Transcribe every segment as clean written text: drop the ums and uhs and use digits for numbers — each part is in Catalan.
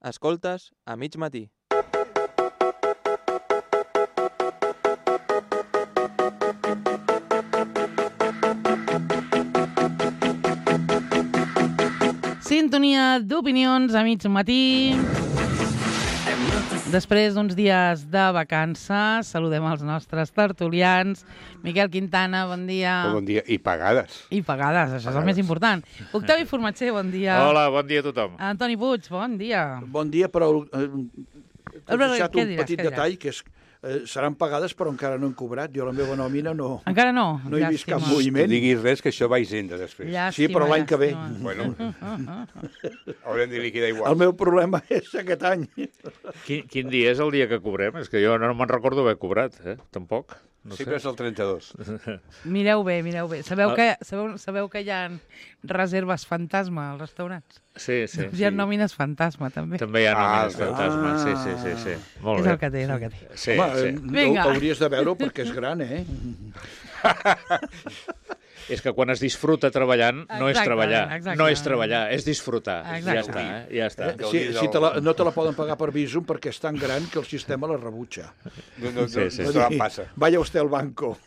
Escoltes a mig matí. Sintonia d'opinions a mig matí. Després d'uns dies de vacances, saludem els nostres tertulians. Miquel Quintana, bon dia. Bon dia. I pagades. I pagades, això és el més important. Octavi Formatger, bon dia. Hola, bon dia a tothom. Antoni Puig, bon dia. Bon dia, però t'he deixat un petit detall, que és seran pagades però encara no han cobrat. Jo la meva nòmina no... Encara no? No he vist cap moviment. No diguis res, que això va a Hisenda després. Llàstima, sí, però l'any que ve. Bueno, haurem de liquidar igual. El meu problema és aquest any. Quin dia és el dia que cobrem? És que jo no me'n recordo haver cobrat, tampoc. No Sempre sé. és el 32. Mireu bé, mireu bé. Sabeu que hi ha reserves fantasma als restaurants? Sí. Hi ha nòmines fantasma, també. També hi ha nòmines fantasma, sí. Molt És bé. el que té, és el que té. Sí, Home, sí. Vinga. Hauries de veure perquè és gran, eh? És que quan es disfruta treballant, no és treballar. Exacte. No és treballar, és disfrutar. Exacte. Ja està. Si no te la poden pagar per Bizum perquè és tan gran que el sistema la rebutja. No Sí. passa. Vaya usted al banco.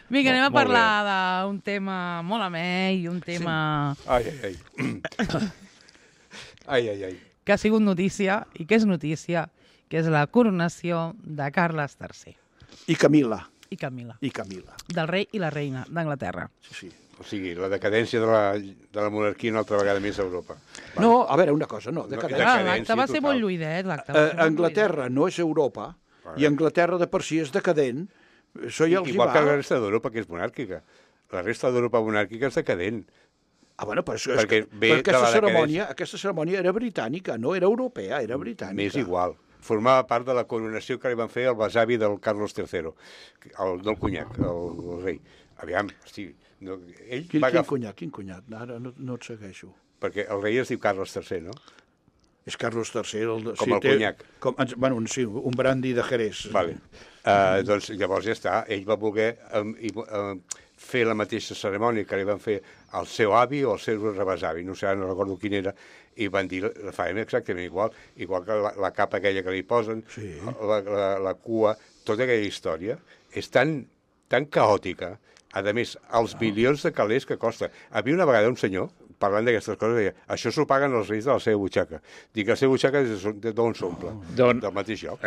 Vinga, anem a Molt parlar d'un tema molt amè i un tema Ai. que ha sigut notícia i que és notícia, que és la coronació de Carles III I Camila. i Camila, del rei i la reina d'Anglaterra. Sí. O sigui, la decadència de la monarquia una altra vegada més a Europa. No, a veure, una cosa, no. L'acte va ser molt lluïdet. Anglaterra no és Europa i Anglaterra de per si és decadent. Això ja els hi Igual va. que la resta d'Europa, que és monàrquica. La resta d'Europa monàrquica és decadent. Bueno, però Perquè ve aquesta cerimònia era britànica, no era europea, era britànica. M'és igual. Formava part de la coronació que li van fer el besavi del Carlos III, del conyac, el rei. Aviam, hosti, ell va agafar... Quin cunyat? Ara no et segueixo. Perquè el rei es diu Carlos III, no? És Carlos III. Com el conyac. Bueno, sí, un brandy de Jerez. Vale. Doncs llavors ja està. Ell va voler fer la mateixa cerimònia que li van fer al seu avi o al seu rebesavi, no sé, no recordo quin era, i van dir, la farem exactament igual que la capa aquella que li posen, sí. la cua, tota aquella història, és tan caòtica. A més, els bilions de calés que costa. Havia una vegada un senyor, parlant d'aquestes coses, deia, això s'ho paguen els reis de la seva butxaca. Dic que la seva butxaca d'on s'omple? Del mateix lloc.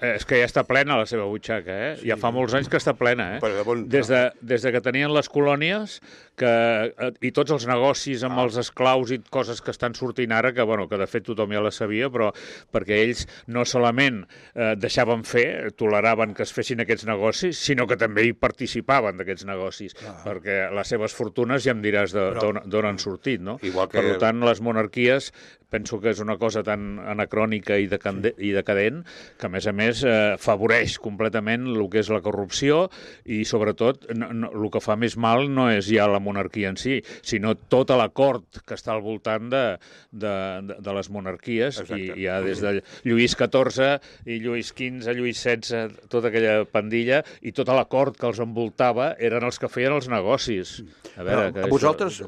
És que ja està plena la seva butxaca, Sí. Ja fa molts anys que està plena, Des que tenien les colònies i tots els negocis amb els esclaus i coses que estan sortint ara, que de fet tothom ja les sabia, però perquè ells no solament deixaven fer, toleraven que es fessin aquests negocis, sinó que també hi participaven d'aquests negocis, perquè les seves fortunes ja em diràs d'on han sortit, no? Per tant, les monarquies penso que és una cosa tan anacrònica i decadent que, a més, favoreix completament el que és la corrupció i, sobretot, el que fa més mal no és ja la monarquia en si, sinó tota la cort que està al voltant de les monarquies. I ja des de Lluís XIV i Lluís XV, Lluís XVI, tota aquella pandilla, i tota la cort que els envoltava eren els que feien els negocis. Vosaltres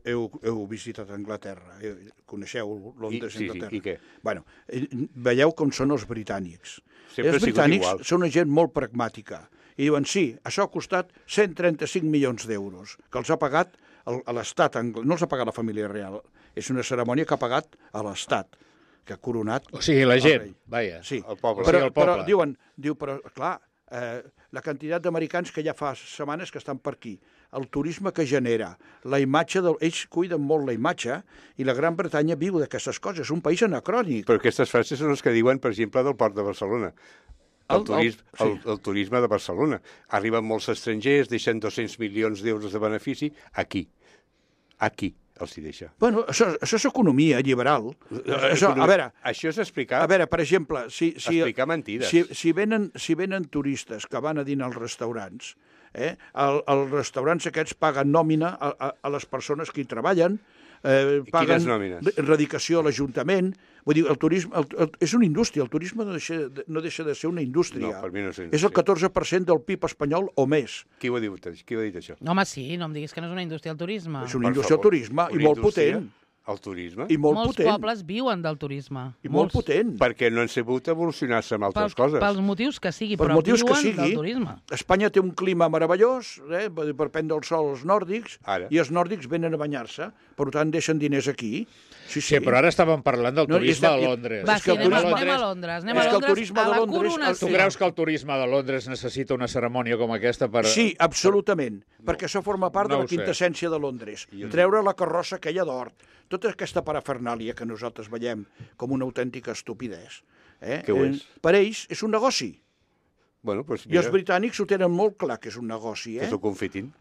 heu visitat Anglaterra, coneixeu Londres i Anglaterra. I què? Bueno, veieu com són els britànics. Sempre Els britànics són una gent molt pragmàtica. I diuen, sí, això ha costat 135 milions d'euros, que els ha pagat a l'Estat anglès. No els ha pagat la família real. És una cerimònia que ha pagat a l'Estat, que ha coronat... O sigui, la gent, vaja, el poble. Però diuen, però clar, la quantitat d'americans que ja fa setmanes que estan per aquí, el turisme que genera, la imatge, ells cuiden molt la imatge, i la Gran Bretanya viu d'aquestes coses, és un país anacrònic. Però aquestes frases són les que diuen, per exemple, del Port de Barcelona. El turisme de Barcelona. Arriben molts estrangers, deixen 200 milions d'euros de benefici, aquí els hi deixa. Bueno, això és economia liberal. Això és explicar... A veure, per exemple, explicar mentides. Si venen turistes que van a dinar als restaurants, els restaurants aquests paguen nòmina a les persones que hi treballen, paguen radicació a l'Ajuntament. Vull dir, el turisme és una indústria, el turisme no deixa de ser una indústria. No, per mi no és una indústria. És el 14% del PIB espanyol o més. Qui ho ha dit això? Home, sí, no em diguis que no és una indústria el turisme. És una indústria del turisme i molt potent. El turisme? I molt Molts potent. pobles viuen del turisme. I molt potent. Perquè no han sabut evolucionar-se amb altres coses. Pels motius que sigui, Pels però motius que viuen sigui. del turisme. Espanya té un clima meravellós, per prendre el sol als nòrdics, Ara. i els nòrdics venen a banyar-se, per tant deixen diners aquí. Sí, Sí, però ara estàvem parlant del turisme a Londres. Va, És que sí, el anem turisme- a Londres. Anem és a que el Londres turisme a de la Londres- coronació. Tu creus que el turisme de Londres necessita una cerimònia com aquesta per... Sí, absolutament, perquè això forma part no de ho la sé. quintessència de Londres. Treure la carrossa aquella d'or, tota aquesta parafernàlia que nosaltres veiem com una autèntica estupidesa. Que ho és. Per ells és un negoci. Bueno, doncs I els mira, britànics ho tenen molt clar que és un negoci, que s'ho confitin.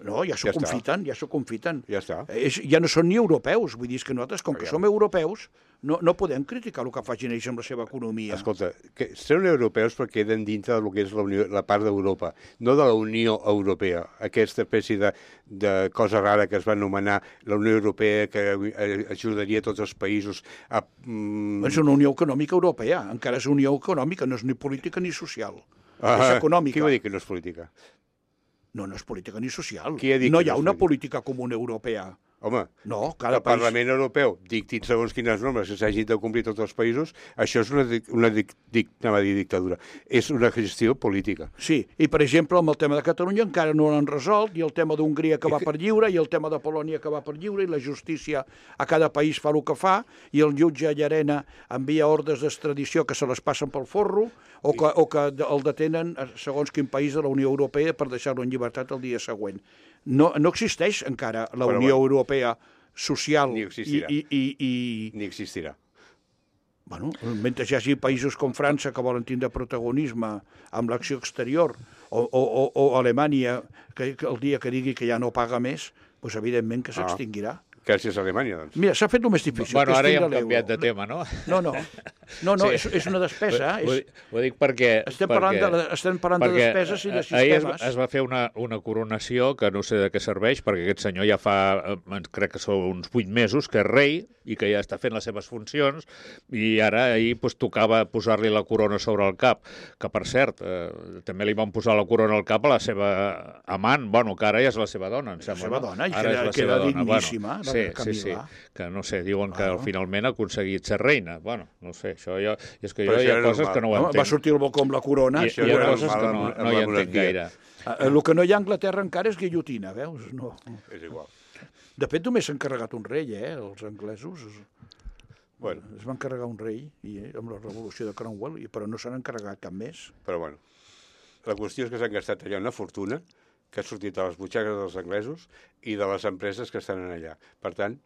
No, ja s'ho Ja està. confiten, ja s'ho confiten. Ja està. Ja no són ni europeus, vull dir és que nosaltres, com que som europeus, no podem criticar el que facin ells amb la seva economia. Escolta, que són europeus però queden dintre del que és la part d'Europa, no de la Unió Europea, aquesta espècie de cosa rara que es va anomenar la Unió Europea, que ajudaria tots els països a... És una Unió Econòmica Europea, encara és Unió Econòmica, no és ni política ni social. És econòmica. Qui va dir que no és política? No és política ni social. Qui ha dit No que hi ha no és una política? política comuna europea. Home, No, que cada el país... Parlament Europeu dictin segons quines normes que s'hagin de complir tots els països, això és una dictadura. És una gestió política. Sí, i per exemple, amb el tema de Catalunya encara no l'han resolt, i el tema d'Hongria que va per lliure, i el tema de Polònia que va per lliure, i la justícia a cada país fa el que fa, i el jutge Llarena envia ordres d'extradició que se les passen pel forro, o que el detenen segons quin país de la Unió Europea per deixar-lo en llibertat el dia següent. No existeix encara la Unió Europea social Ni existirà. i Ni existirà. bueno, mentre hi hagi països com França que volen tindre protagonisme amb l'acció exterior o Alemanya que el dia que digui que ja no paga més, doncs evidentment que s'extingirà. Gràcies a Alemanya, doncs. Mira, s'ha fet el més difícil. Bueno, que és ara ja tindre hem canviat de l'euro. tema, no? No, Sí. és una despesa. Ho dic perquè... Estem parlant de despeses i de sistemes. Ahir es va fer una coronació que no sé de què serveix, perquè aquest senyor ja fa, crec que són uns 8 mesos, que és rei i que ja està fent les seves funcions, i ara ahir tocava posar-li la corona sobre el cap, que per cert, també li van posar la corona al cap a la seva amant, bueno, que ara ja és la seva dona, em sembla. La seva dona, i Ara és la queda seva dona. digníssima, la Sí, Camil·la. que no sé, diuen que finalment ha aconseguit ser reina. Bueno, no sé, això jo... És que Però jo hi això ha era coses normal. que no ho Home, entenc. va sortir el balcó amb la corona. Hi Això ha era coses que normal no hi la entenc monarquia. gaire. El que no hi ha a Anglaterra encara és guillotina, veus? No. És igual. De fet, només s'han carregat un rei, els anglesos. Bueno, Es van carregar un rei amb la revolució de Cromwell, però no se n'han carregat cap més. però bueno. La qüestió és que s'han gastat allà una fortuna que ha sortit de les butxaques dels anglesos i de les empreses que estan allà. Per tant,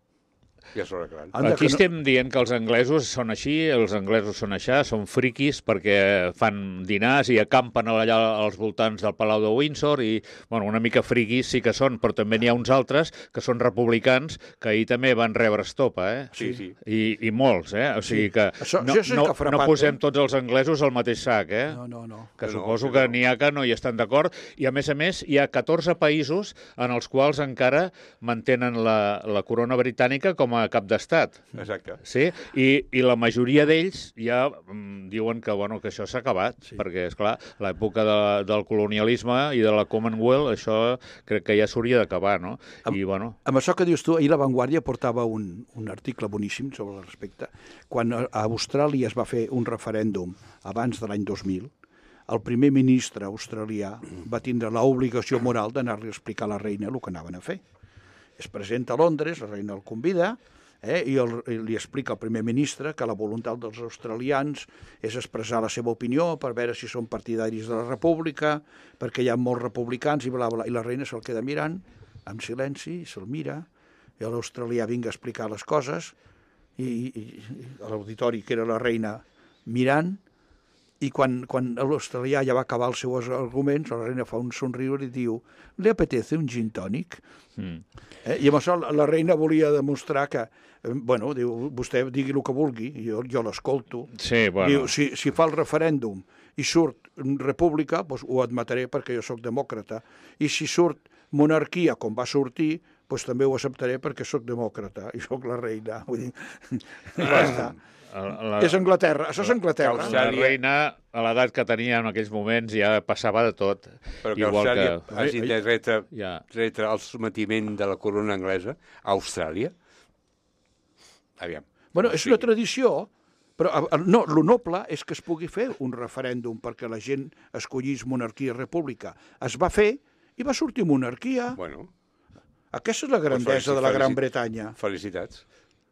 ja s'ho arreglant. Aquí estem dient que els anglesos són així, els anglesos són així, són friquis perquè fan dinars i acampen allà als voltants del Palau de Windsor i, bueno, una mica friquis sí que són, però també n'hi ha uns altres que són republicans que ahir també van rebre estopa, Sí, sí. I molts, O sigui que Això no, sí que ha frapat, no posem tots els anglesos al mateix sac, No. que suposo que n'hi ha que no hi estan d'acord, i a més, hi ha 14 països en els quals encara mantenen la corona britànica com a cap d'estat. Exacte. Sí? I la majoria d'ells ja diuen que, bueno, que això s'ha acabat, perquè, esclar, l'època del colonialisme i de la Commonwealth, això crec que ja s'hauria d'acabar, no? I, bueno... Amb això que dius tu, ahir La Vanguardia portava un article boníssim sobre el respecte. Quan a Austràlia es va fer un referèndum abans de l'any 2000, el primer ministre australià va tindre l'obligació moral d'anar-li a explicar a la reina el que anaven a fer. Es presenta a Londres, la reina el convida, i li explica al primer ministre que la voluntat dels australians és expressar la seva opinió per veure si són partidaris de la república, perquè hi ha molts republicans i bla, bla, i la reina se'l queda mirant, en silenci, se'l mira, i l'australià vinga a explicar les coses, i l'auditori, que era la reina, mirant, i quan l'australià ja va acabar els seus arguments, la reina fa un somriure i diu «Le apetece un gin tònic?» I amb això la reina volia demostrar que, bueno, diu, vostè digui el que vulgui, jo l'escolto. Sí, bueno. Diu, si fa el referèndum i surt república, doncs ho admetré perquè jo sóc demòcrata. I si surt monarquia, com va sortir, doncs també ho acceptaré perquè sóc demòcrata i sóc la reina. Vull dir, ja està. És Anglaterra, això és Anglaterra. La reina, a l'edat que tenia en aquells moments, ja passava de tot. Però que Igual Austràlia que... hagi de retre el sometiment de la corona anglesa a Austràlia? Aviam. Bueno, és una tradició, però no, lo noble és que es pugui fer un referèndum perquè la gent escollís monarquia i república. Es va fer i va sortir monarquia. Bueno. Aquesta és la grandesa de la Gran Bretanya. Felicitats.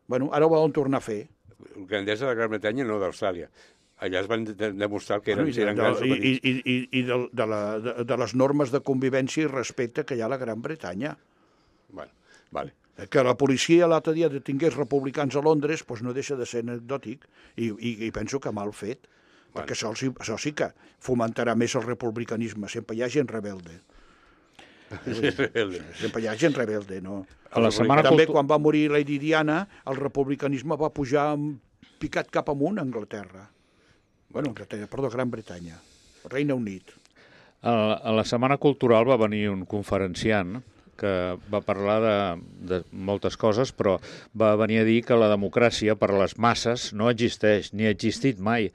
Bueno, ara ho volen tornar a fer. Grandesa de la Gran Bretanya, no d'Austràlia. Allà es van demostrar que eren grans o petits. I de les normes de convivència i respecte que hi ha a la Gran Bretanya. Bueno, vale. Que la policia l'altre dia detingués republicans a Londres doncs no deixa de ser anecdòtic i penso que mal fet, perquè això sí que fomentarà més el republicanisme. Sempre hi ha gent rebelde. Sempre hi ha gent rebelde, no? També quan va morir Lady Diana, el republicanisme va pujar picat cap amunt a Anglaterra. Perdó, Gran Bretanya, Regne Unit. A la Setmana Cultural va venir un conferenciant que va parlar de moltes coses, però va venir a dir que la democràcia per a les masses no existeix, ni ha existit mai,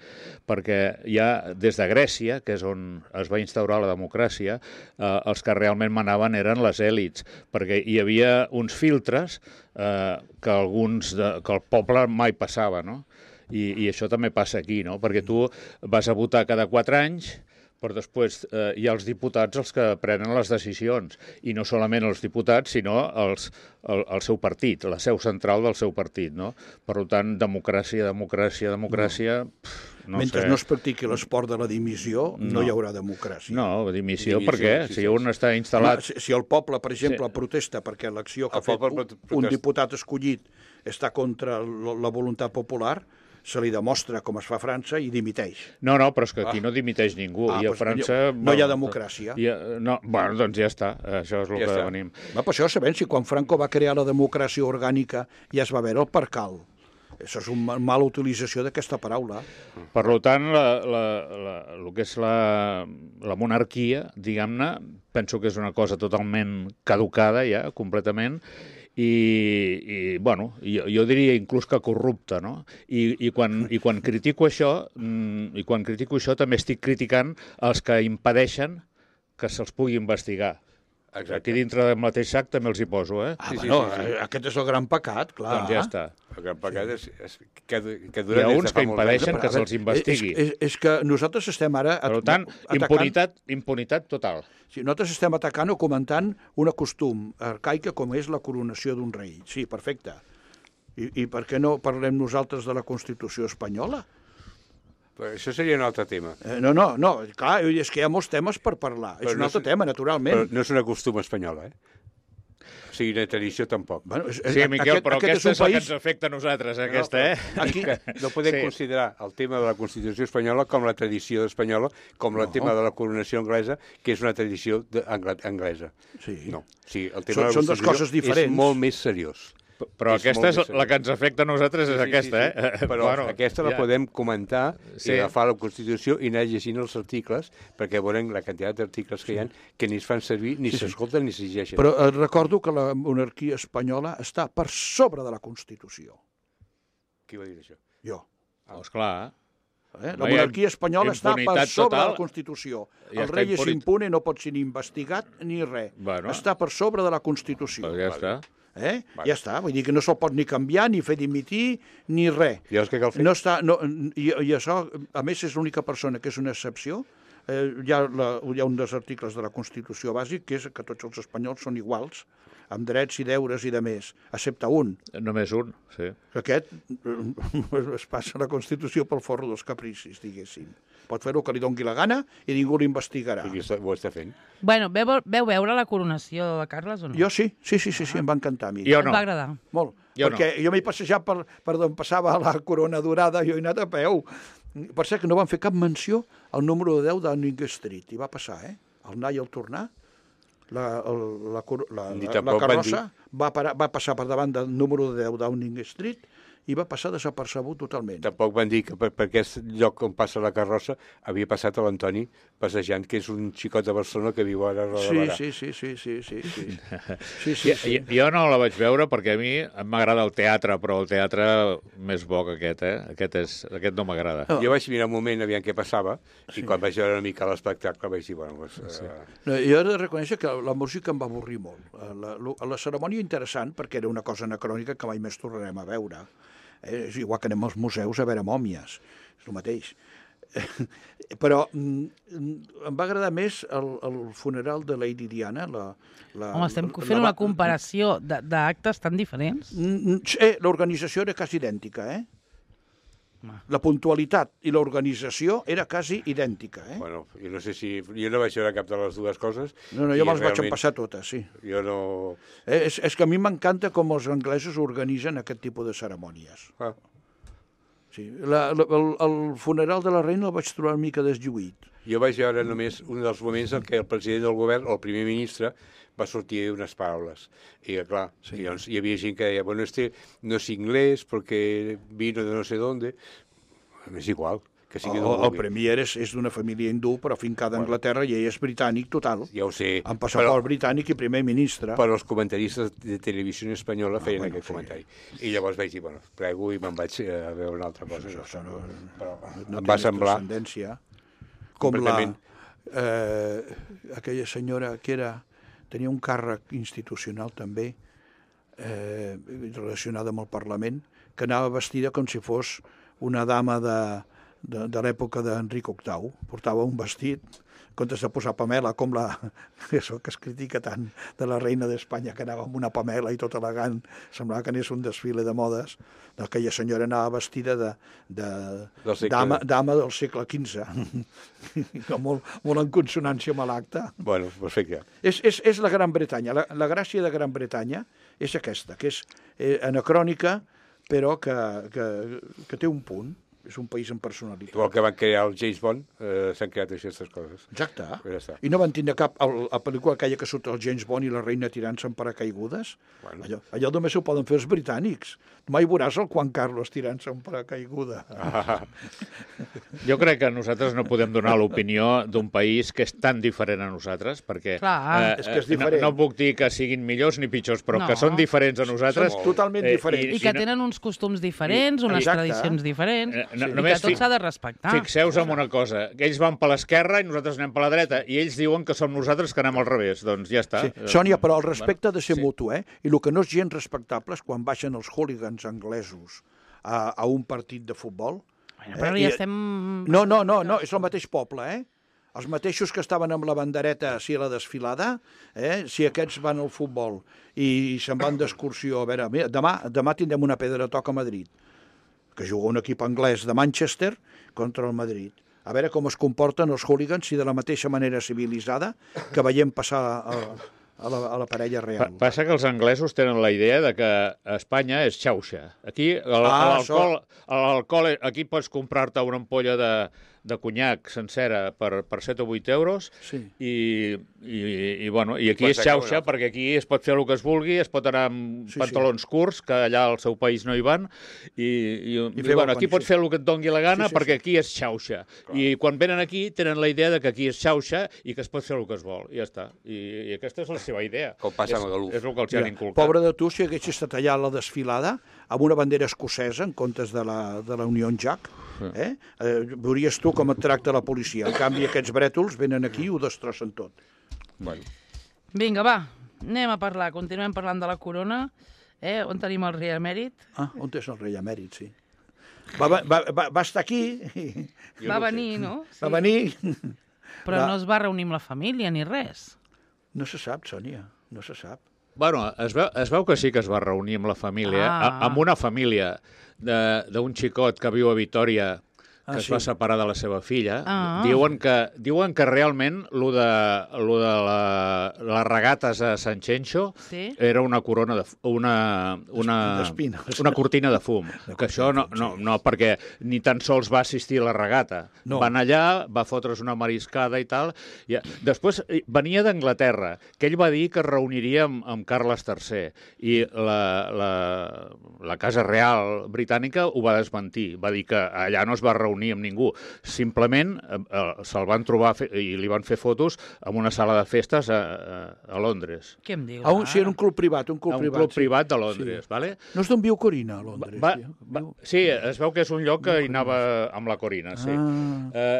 perquè ja des de Grècia, que és on es va instaurar la democràcia, els que realment manaven eren les èlits, perquè hi havia uns filtres que el poble mai passava, no? I això també passa aquí, no? Perquè tu vas a votar cada 4 anys, però després hi ha els diputats els que prenen les decisions, i no solament els diputats, sinó el seu partit, la seu central del seu partit, no? Per tant, democràcia... Mentre no es practiqui l'esport de la dimissió, no hi haurà democràcia. No, dimissió per què? Si un està instal·lat... Si el poble, per exemple, protesta perquè l'acció que ha fet un diputat escollit està contra la voluntat popular, se li demostra com es fa a França i dimiteix. No, però és que aquí no dimiteix ningú. I a França... No hi ha democràcia. Doncs ja està. Això és el que venim. Per això sabem si quan Franco va crear la democràcia orgànica ja es va veure el percal. Això és una mala utilització d'aquesta paraula. Per tant, el que és la monarquia, diguem-ne, penso que és una cosa totalment caducada ja, completament, i jo diria inclús que corrupta, no? I quan critico això, també estic criticant els que impedeixen que se'ls pugui investigar. Exacte. Aquí dintre del mateix sac també els hi poso, eh? Aquest és el gran pecat, clar. Doncs ja està. El gran pecat és que hi ha uns que impedeixen que se'ls investigui. És que nosaltres estem ara... Per tant, impunitat total. Sí, nosaltres estem atacant o comentant un costum arcaica com és la coronació d'un rei. Sí, perfecte. I per què no parlem nosaltres de la Constitució espanyola? Però això seria un altre tema. No, clar, és que hi ha molts temes per parlar. És un altre tema, naturalment. Però no és una costum espanyola, O sigui, una tradició tampoc. Sí, Miquel, però aquesta és el que ens afecta a nosaltres, aquesta, Aquí no podem considerar el tema de la Constitució espanyola com la tradició espanyola, com el tema de la coronació anglesa, que és una tradició anglesa. Sí. No. Sí, el tema de la Constitució és molt més seriós. Però aquesta és la que ens afecta a nosaltres, és aquesta, Però aquesta la podem comentar i agafar la Constitució i anar llegint els articles, perquè veurem la quantitat d'articles que hi ha que ni es fan servir, ni s'escolten, ni s'exigeixen. Però recordo que la monarquia espanyola està per sobre de la Constitució. Qui va dir això? Jo. Esclar. La monarquia espanyola està per sobre de la Constitució. El rei és impune, no pot ser ni investigat ni res. Està per sobre de la Constitució. Ja està. Ja està, vull dir que no se'l pot ni canviar, ni fer dimitir, ni res. I què cal fer? I això, a més, és l'única persona que és una excepció. Hi ha un dels articles de la Constitució bàsic, que és que tots els espanyols són iguals, amb drets i deures i de més, excepte un. Només un, sí. Aquest es passa la Constitució pel forro dels capricis, diguéssim. Pot fer el que li doni la gana i ningú l'investigarà. I ho està fent. Bueno, veu veure la coronació de Carles o no? Jo sí, em va encantar a mi. Jo no. Em va agradar. Molt, perquè jo m'he passejat per d'on passava la corona dorada, jo he anat a peu. Per cert que no van fer cap menció al número 10 de Downing Street, i va passar, el anar i el tornar. La carrossa va passar per davant del número 10 de Downing Street i va passar desapercebut totalment. Tampoc van dir que per aquest lloc on passa la carrossa havia passat a l'Antoni passejant, que és un xicot de Barcelona que viu ara a Roda Barà. Sí. Jo no la vaig veure perquè a mi m'agrada el teatre, però el teatre més bo que aquest, Aquest no m'agrada. Jo vaig mirar un moment aviam què passava i quan vaig veure una mica l'espectacle vaig dir, Jo he de reconèixer que la música em va avorrir molt. La cerimònia interessant, perquè era una cosa anacrònica que mai més tornarem a veure. És igual que anem als museus a veure mòmies, és el mateix. Però em va agradar més el funeral de Lady Diana. Home, estem fent una comparació d'actes tan diferents. L'organització era quasi idèntica, La puntualitat i l'organització era quasi idèntica, Bueno, jo no sé si... Jo no vaig veure cap de les dues coses. No, jo me'ls vaig empassar totes, sí. Jo no... És que a mi m'encanta com els anglesos organitzen aquest tipus de cerimònies. Sí. El funeral de la reina el vaig trobar una mica deslluït. Jo vaig veure només un dels moments en què el president del govern, o el primer ministre, va sortir unes paraules. I, clar, hi havia gent que deia, bueno, no és inglès perquè vino de no sé dónde. És igual. El premier és d'una família hindú, però fincada a Anglaterra, i ell és britànic total. Ja ho sé. Amb passaport britànic i primer ministre. Però els comentaristes de televisió espanyola feien aquest comentari. I llavors vaig dir, bueno, prego, i me'n vaig a veure una altra cosa. Però em va semblar... Com aquella senyora que tenia un càrrec institucional també, relacionada amb el Parlament, que anava vestida com si fos una dama de l'època d'Enric VIII. Portava un vestit, en comptes de posar pamela, com això que es critica tant de la reina d'Espanya, que anava amb una pamela i tot elegant, semblava que anés un desfile de modes. Aquella senyora anava vestida dama del segle XV, molt en consonància amb l'acte. Bueno, perfecte. És la Gran Bretanya. La gràcia de Gran Bretanya és aquesta, que és anacrònica, però que té un punt. És un país amb personalitat. Igual que van crear el James Bond, s'han creat aquestes coses. Exacte. I no van tindre cap... La pel·lícula aquella que surt el James Bond i la reina tirant-se en paracaigudes, allò només ho poden fer els britànics. Mai veuràs el Juan Carlos tirant-se en paracaiguda. Jo crec que nosaltres no podem donar l'opinió d'un país que és tan diferent a nosaltres, perquè és que és diferent. No puc dir que siguin millors ni pitjors, però que són diferents a nosaltres. Són totalment diferents. I que tenen uns costums diferents, unes tradicions diferents. I que tot s'ha de respectar. Fixeu-vos en una cosa, ells van per l'esquerra i nosaltres anem per la dreta, i ells diuen que som nosaltres que anem al revés, doncs ja està. Sònia, però el respecte ha de ser mutu, i el que no és gens respectable és quan baixen els hooligans anglesos a un partit de futbol. Però ja estem... No, és el mateix poble, Els mateixos que estaven amb la bandereta a la desfilada, si aquests van al futbol i se'n van d'excursió, a veure, demà tindrem una pedra toca a Madrid, que juga un equip anglès de Manchester contra el Madrid. A veure com es comporten els hooligans, si de la mateixa manera civilitzada que veiem passar a la parella real. Passa que els anglesos tenen la idea de que Espanya és xauxa. Aquí l'alcohol, aquí pots comprar-te una ampolla de conyac sencera per 7 o 8 euros i aquí és xauxa perquè aquí es pot fer el que es vulgui, es pot anar amb pantalons curts, que allà al seu país no hi van, i aquí pots fer el que et doni la gana perquè aquí és xauxa. I quan venen aquí tenen la idea de que aquí és xauxa i que es pot fer el que es vol, i ja està. I aquesta és la seva idea. Com passa amb Galuf. És el que els han inculcat. Pobre de tu si haguessis estat allà a la desfilada amb una bandera escocesa en comptes de la Union Jack. Veuries tu com et tracta la policia. En canvi, aquests brètols venen aquí i ho destrossen tot. Vinga, va, anem a parlar. Continuem parlant de la corona. On tenim el rei emèrit? On és el rei emèrit, sí. Va estar aquí. Va venir, no? Va venir. Però no es va reunir amb la família ni res. No se sap, Sònia, no se sap. Bueno, es veu que sí que es va reunir amb la família, amb una família d'un xicot que viu a Vitòria, que es va separar de la seva filla. Diuen que realment lo de les regates a Sant Xenxo era una corona una cortina de fum. Que això no, perquè ni tan sols va assistir a la regata. Van allà, va fotre's una mariscada i tal. Després venia d'Anglaterra, que ell va dir que es reuniria amb Carles III, i la Casa Real britànica ho va desmentir. Va dir que allà no es va reunir reunir amb ningú. Simplement se'l van trobar i li van fer fotos en una sala de festes a Londres. Què em dius? Sí, en un club privat. Un club privat de Londres, vale? No és d'on viu Corina, a Londres? Sí, es veu que és un lloc que hi anava amb la Corina, sí.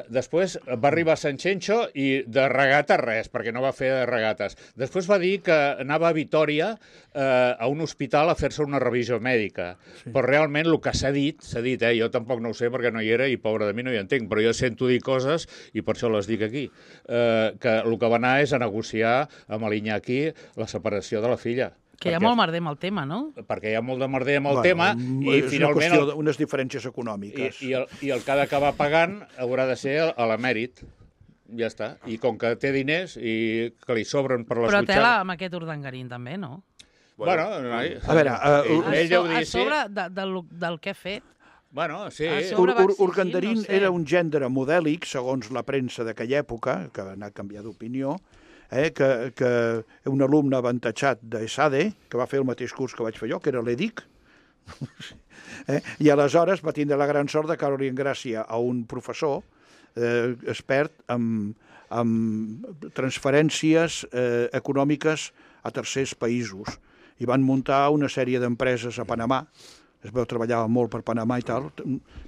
Després va arribar a Sanxenxo i de regata res, perquè no va fer regates. Després va dir que anava a Vitòria a un hospital a fer-se una revisió mèdica. Sí. Però realment el que s'ha dit, jo tampoc no ho sé perquè no hi era i pobre de mi no hi entenc, però jo sento dir coses i per això les dic aquí, que el que va anar és a negociar amb l'Iñaki la separació de la filla. Que hi ha molt merder amb el tema, no? Perquè hi ha molt de merder amb el tema i és finalment... una qüestió d'unes diferències econòmiques. I el que ha d'acabar pagant haurà de ser a l'emèrit. Ja està. I com que té diners i que li sobren per les butxaques... Però tela butxaques... amb aquest urdangarín també, no? Bueno, a veure... ell deu dir a sobre del que ha fet... Bueno, sí. Urdangarín era un gènere modèlic, segons la premsa d'aquella època, que ha anat canviant d'opinió, que un alumne avantatjat d'ESADE, que va fer el mateix curs que vaig fer jo, que era l'EDIC, i aleshores va tindre la gran sort de caure en gràcia a un professor expert amb transferències econòmiques a tercers països, i van muntar una sèrie d'empreses a Panamà. Es veu treballava molt per Panamà i tal.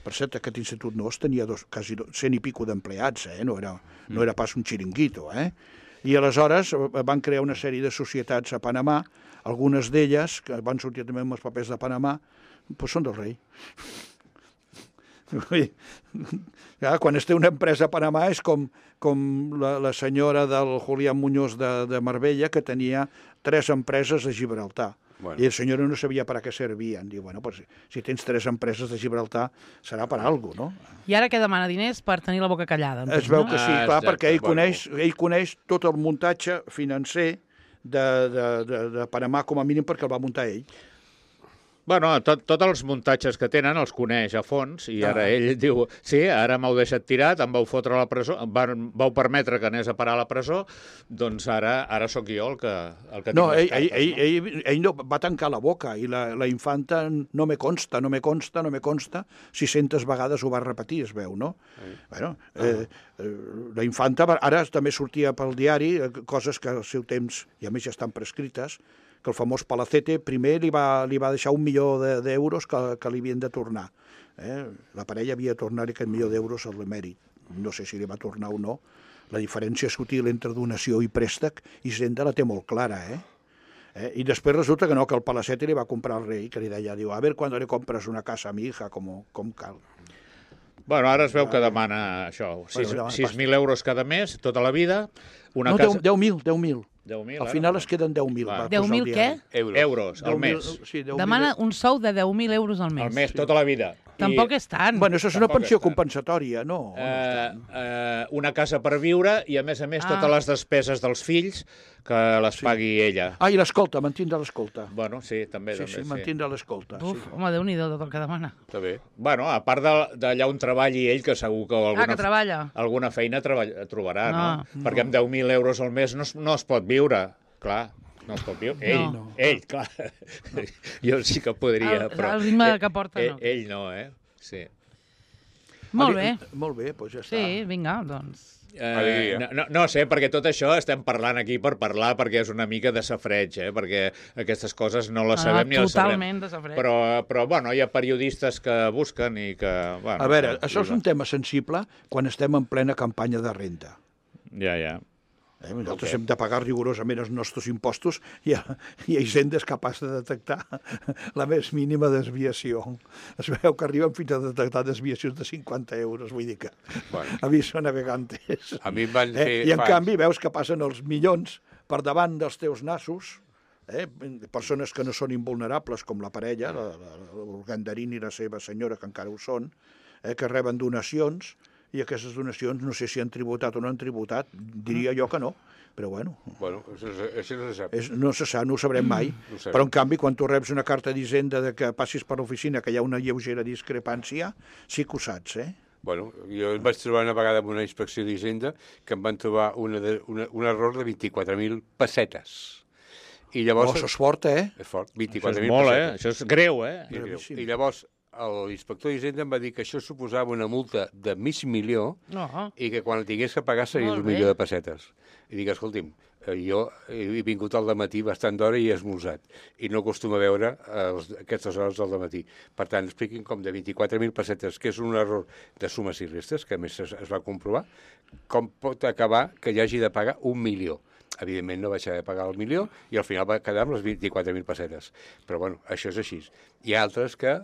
Per cert, aquest institut no tenia quasi 100 i pico d'empleats, no era pas un xiringuito, I aleshores van crear una sèrie de societats a Panamà, algunes d'elles, que van sortir també amb els papers de Panamà, doncs són del rei. Quan es té una empresa a Panamà és com la senyora del Julián Muñoz de Marbella, que tenia 3 empreses a Gibraltar. Bueno. I el senyor no sabia per a què servien. Diu, bueno, pues, si tens 3 empreses de Gibraltar, serà per alguna cosa, no? I ara què demana diners per tenir la boca callada? Es veu que sí, clar, perquè ell coneix tot el muntatge financer de Panamà, com a mínim perquè el va muntar ell. Bueno, tots els muntatges que tenen els coneix a fons i ara ell diu, sí, ara m'heu deixat tirat, em vau fotre a la presó, vau permetre que anés a parar a la presó, doncs ara sóc jo el que no, ell no va tancar la boca i la infanta no me consta, 600 vegades ho va repetir, es veu, no? Bueno, la infanta ara també sortia pel diari coses que al seu temps, i a més ja estan prescrites, que el famós Palacete primer li va deixar 1 milió d'euros que li havien de tornar. La parella havia de tornar aquest 1 milió d'euros a l'emèrit. No sé si li va tornar o no. La diferència sutil entre donació i préstec, Hisenda la té molt clara, I després resulta que no, que el Palacete li va comprar al rei, que li deia, diu, a ver cuando le compras una casa a mi hija, com cal. Bueno, ara es veu que demana això, 6.000 euros cada mes, tota la vida. No, 10.000. Al final es queden 10.000. 10.000 què? Euros al mes. Demana un sou de 10.000 euros al mes. Al mes, tota la vida. Tampoc és tant. Bueno, això és una pensió compensatòria, no? Una casa per viure i, a més, totes les despeses dels fills que les pagui ella. I l'escolta, mantindre l'escolta. Bueno, sí, també. Sí, mantindre l'escolta. Home, Déu-n'hi-do tot el que demana. També. Bueno, a part d'allà on treballi ell, que segur que alguna feina trobarà, no? Perquè amb 10.000 euros al mes no es pot viure, clar. No es pot viure. Ell, clar. Jo sí que podria, però... El ritme que porta, no. Ell no, Sí. Molt bé. Molt bé, doncs ja està. Sí, vinga, doncs... No sé, perquè tot això estem parlant aquí per parlar, perquè és una mica de safreig, perquè aquestes coses no les sabem ni les sabrem. Totalment de safreig. Però, bueno, hi ha periodistes que busquen i que... Bueno, a veure, això és un tema sensible quan estem en plena campanya de renda. Ja. Nosaltres hem de pagar rigorosament els nostres impostos i Hisenda és capaç de detectar la més mínima desviació. Es veu que arriben fins a detectar desviacions de 50 euros, vull dir que aviso navegantes. A mi em van fer... I en canvi veus que passen els milions per davant dels teus nassos, persones que no són invulnerables com la parella, l'Urdangarín i la seva senyora, que encara ho són, que reben donacions, i aquestes donacions no sé si han tributat o no han tributat, diria jo que no, però bueno. Bueno, això no se sap. No se sap, no ho sabrem mai, però en canvi quan tu reps una carta d'Hisenda de que passis per l'oficina que hi ha una lleugera discrepància, sí que ho saps, Bueno, jo em vaig trobar una vegada amb una inspecció d'Hisenda que em van trobar un error de 24.000 pessetes. I llavors... això és fort, És fort, 24.000 pessetes. Això és molt, Això és greu, I llavors l'inspector d'Hisenda em va dir que això suposava una multa de $500,000 i que quan el tingués que pagar seria $1.000.000 de pessetes. I dic, escolti'm, jo he vingut al dematí bastant d'hora i he esmorzat i no acostumo a veure aquestes hores del dematí. Per tant, expliquin com de 24.000 pessetes, que és un error de sumes i restes, que a més es va comprovar, com pot acabar que hi hagi de pagar $1.000.000. Evidentment no vaig haver de pagar el $1.000.000 i al final va quedar amb les 24.000 pessetes. Però bueno, això és així. Hi ha altres que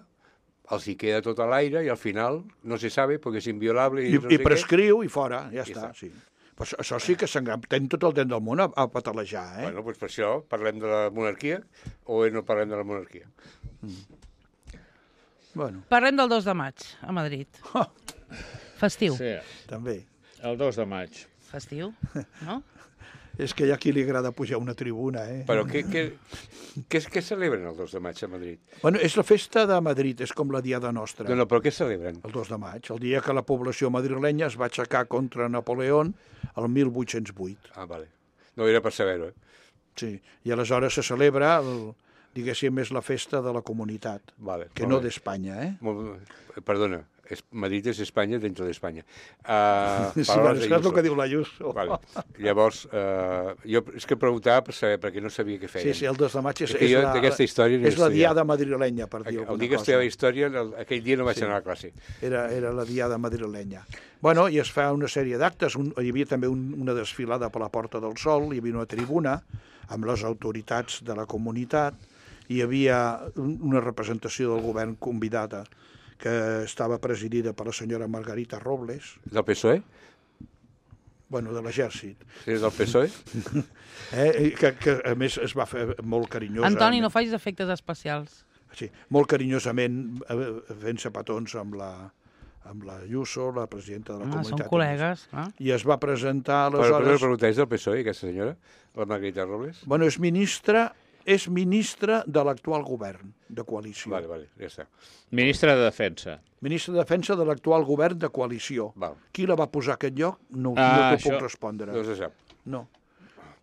els hi queda tot a l'aire i al final no se sabe perquè és inviolable. I prescriu i fora, ja està. Sí. Però això sí que tenen tot el temps del món a patalejar. Bueno, doncs per això parlem de la monarquia o no parlem de la monarquia? Bueno. Parlem del 2 de maig, a Madrid. Festiu. Sí, també. El 2 de maig. Festiu, no? És que hi ha qui li agrada pujar a una tribuna, Però què celebren el 2 de maig a Madrid? Bueno, és la festa de Madrid, és com la diada nostra. No, però què celebren? El 2 de maig, el dia que la població madrilenya es va aixecar contra Napoleón el 1808. Ah, vale. No era per saber-ho, Sí, i aleshores se celebra, diguéssim, és la festa de la comunitat, que no d'Espanya, Perdona, Madrid és Espanya dentro d'Espanya. Sí, és el que diu l'Ayuso. Vale. Llavors, jo és que preguntava per saber, perquè no sabia què feien. Sí, el 2 de maig és la diada madrilenya, per dir alguna cosa. El dia que estudiava història, aquell dia no vaig anar a classe. Era la diada madrilenya. Bueno, i es fa una sèrie d'actes. Hi havia també una desfilada per la Porta del Sol, hi havia una tribuna amb les autoritats de la comunitat, hi havia una representació del govern convidada que estava presidida per la senyora Margarita Robles. Del PSOE? Bueno, de l'exèrcit. Sí, és del PSOE? Que a més es va fer molt carinyosa. Antoni, no facis efectes especials. Sí, molt carinyosament fent-se petons amb la Ayuso, la presidenta de la comunitat. Són col·legues. I es va presentar aleshores... Però no pregunta, és del PSOE, aquesta senyora, la Margarita Robles? Bueno, és ministra de l'actual govern de coalició. Vale, ja està. Ministra de Defensa. Ministra de Defensa de l'actual govern de coalició. Qui la va posar a aquest lloc? No t'ho puc respondre. No se sap. No,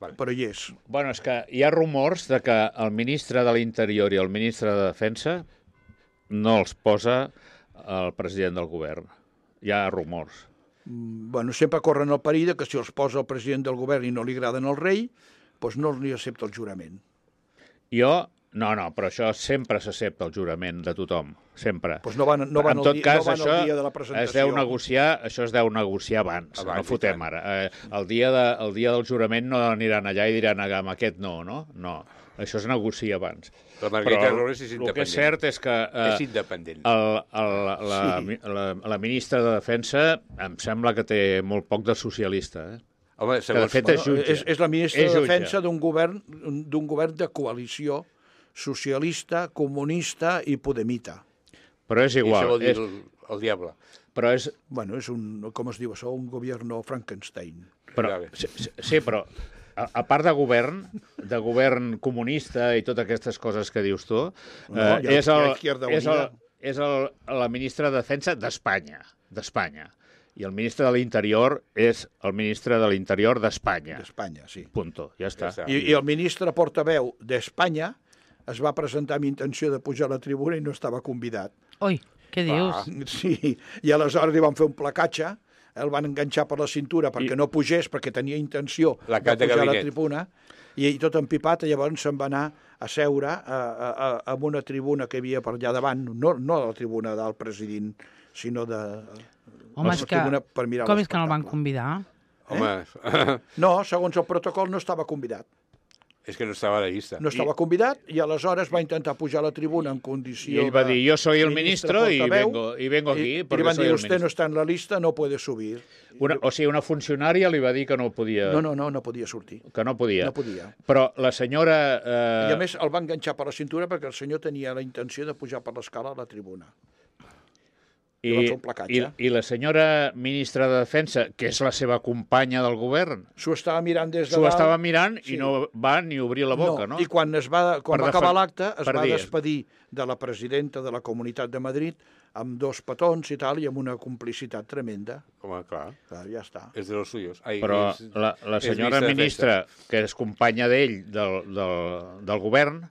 però hi és. Bueno, és que hi ha rumors de que el ministre de l'Interior i el ministre de Defensa no els posa el president del govern. Hi ha rumors. Bueno, sempre corren el perill que si els posa el president del govern i no li agraden al rei, doncs no li accepta el jurament. No, però això sempre s'accepta el jurament de tothom, sempre. Doncs no van el dia de la presentació. Això es deu negociar abans, no fotem ara. El dia del jurament no aniran allà i diran amb aquest no. No, això es negocia abans. La Margarita Robles és independent. El que és cert és que és independent. La ministra de Defensa em sembla que té molt poc de socialista, Home, segons... De fet, és jutge. És la ministra de Defensa d'un govern de coalició socialista, comunista i podemita. Però és igual. I això vol dir el diable. Però és... Bueno, és com es diu això, un govern Frankenstein. Sí, però a part de govern comunista i totes aquestes coses que dius tu, és la ministra de Defensa d'Espanya. I el ministre de l'Interior és el ministre de l'Interior d'Espanya. D'Espanya, sí. Punto, ja està. I el ministre portaveu d'Espanya es va presentar amb intenció de pujar a la tribuna i no estava convidat. Ui, què dius? Sí, i aleshores li van fer un placatge, el van enganxar per la cintura perquè no pugés, perquè tenia intenció de pujar a la tribuna, i tot empipat, llavors se'n va anar a seure en una tribuna que hi havia per allà davant, no la tribuna del president, sinó de... Home, és que... Com és que no el van convidar? No, segons el protocol no estava convidat. És que no estava a la llista. No estava convidat i aleshores va intentar pujar a la tribuna en condició... I ell va dir, jo soy el ministro y vengo aquí porque soy el ministro. Usted no está en la lista, no puede subir. O sigui, una funcionària li va dir que no podia... No podia sortir. Que no podia. No podia. Però la senyora... I a més el va enganxar per la cintura perquè el senyor tenia la intenció de pujar per l'escala a la tribuna. I la senyora ministra de Defensa, que és la seva companya del govern... S'ho estava mirant des de dalt. S'ho estava mirant i no va ni obrir la boca, no? I quan va acabar l'acte es va despedir de la presidenta de la Comunitat de Madrid amb 2 petons i tal, i amb una complicitat tremenda. Home, clar. Ja està. És de los suyos. Però la senyora ministra, que és companya d'ell, del govern,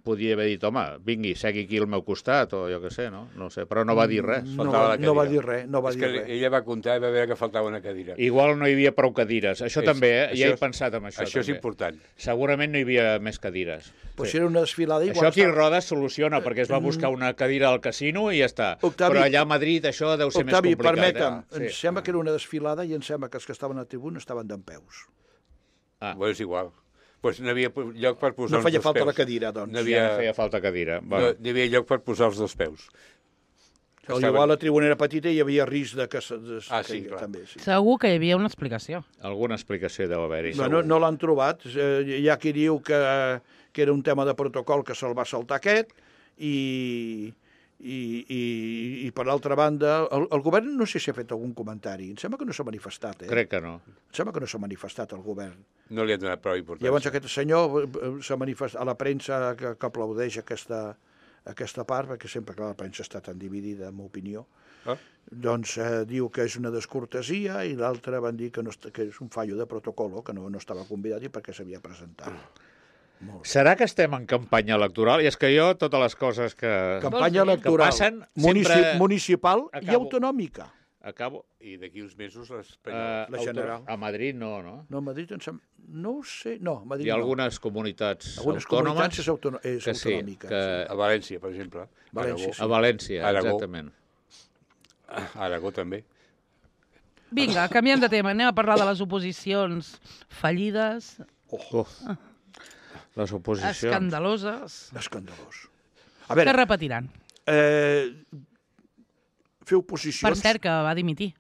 podia haver dit, home, vingui, segui aquí al meu costat, o jo què sé, no? No sé, però no va dir res. No va dir res, És que ella va comptar i va veure que faltava una cadira. Igual no hi havia prou cadires. Això també, ja he pensat en això. Això és important. Segurament no hi havia més cadires. Però si era una desfilada... Això aquí Roda soluciona, perquè es va buscar una cadira al casino i ja està. Però allà a Madrid això deu ser més complicat. Octavi, permetem, em sembla que era una desfilada i em sembla que els que estaven a tribuna estaven dempeus. Bueno, és igual. Pues no havia lloc per posar els dos peus. No feia falta la cadira, doncs. No feia falta cadira. No hi havia lloc per posar els dos peus. Igual la tribuna era petita i hi havia risc de que... sí, clar. També, sí. Segur que hi havia una explicació. Alguna explicació deu haver-hi. No l'han trobat. Hi ha qui diu que era un tema de protocol que se'l va saltar aquest i per l'altra banda, el govern no sé si ha fet algun comentari. Em sembla que no s'ha manifestat. Crec que no. Em sembla que no s'ha manifestat el govern. No li ha donat prou importància. Llavors aquest senyor s'ha manifestat a la premsa que aplaudeix aquesta part, perquè sempre que la premsa està tan dividida, en opinió, doncs diu que és una descortesia i l'altre van dir que és un fallo de protocolo, que no estava convidat i perquè s'havia presentat. Serà que estem en campanya electoral? I és que jo, totes les coses que electoral, passen... municipal i autonòmica. Acabo. I d'aquí uns mesos la general. A Madrid no, no? No, a Madrid no ho sé. No, a Madrid hi ha algunes comunitats autònomes. Algunes comunitats és autonòmica. Que... A València, per exemple. València, a València, exactament. Aragó també. Vinga, canviem de tema. Anem a parlar de les oposicions fallides. Les oposicions... Escandaloses. Escandalós. Que repetiran. Fer oposicions... Per cert, que va dimitir.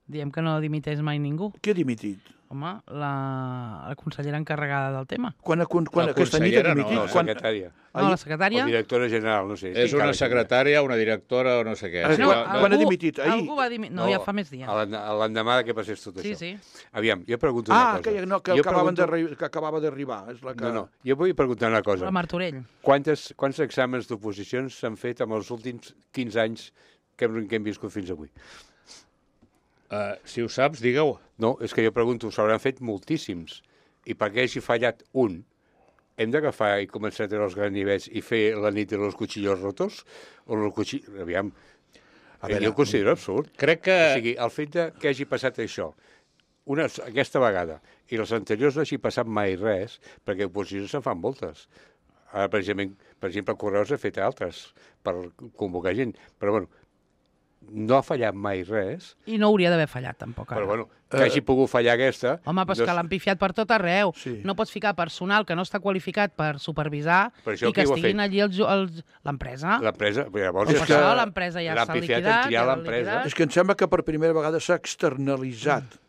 Diem que no dimiteix mai ningú. Qui ha dimitit? Home, la consellera encarregada del tema. Quan aquesta nit ha dimitit? No, la secretària. No, la secretària... O directora general, no sé. És una secretària, una directora o no sé què. Quan ha dimitit? Ahir? Algú va dimitir. No, ja fa més dies. L'endemà que passés tot això. Sí. Aviam, jo pregunto una cosa. Que acabava d'arribar. No, jo vull preguntar una cosa. La Martorell. Quants exàmens d'oposicions s'han fet en els últims 15 anys que hem viscut fins avui? Si ho saps, digue-ho. No, és que jo pregunto, s'hauran fet moltíssims. I perquè hagi fallat un, hem d'agafar i començar a treure els granivets i fer la nit de los cuchillos rotos? O los cuchillos... Aviam, jo ho considero absurd. Crec que... O sigui, el fet que hagi passat això, aquesta vegada, i les anteriors no hagi passat mai res, perquè oposicions se'n fan moltes. Ara, per exemple, Correus ha fet altres per convocar gent. Però, bueno, no ha fallat mai res. I no hauria d'haver fallat, tampoc. Però, bueno, que hagi pogut fallar aquesta... Home, però és que l'han pifiat per tot arreu. Sí. No pots ficar personal que no està qualificat per supervisar i que estiguin allí l'empresa. L'empresa, llavors... És que l'empresa ja s'ha liquidat. És que em sembla que per primera vegada s'ha externalitzat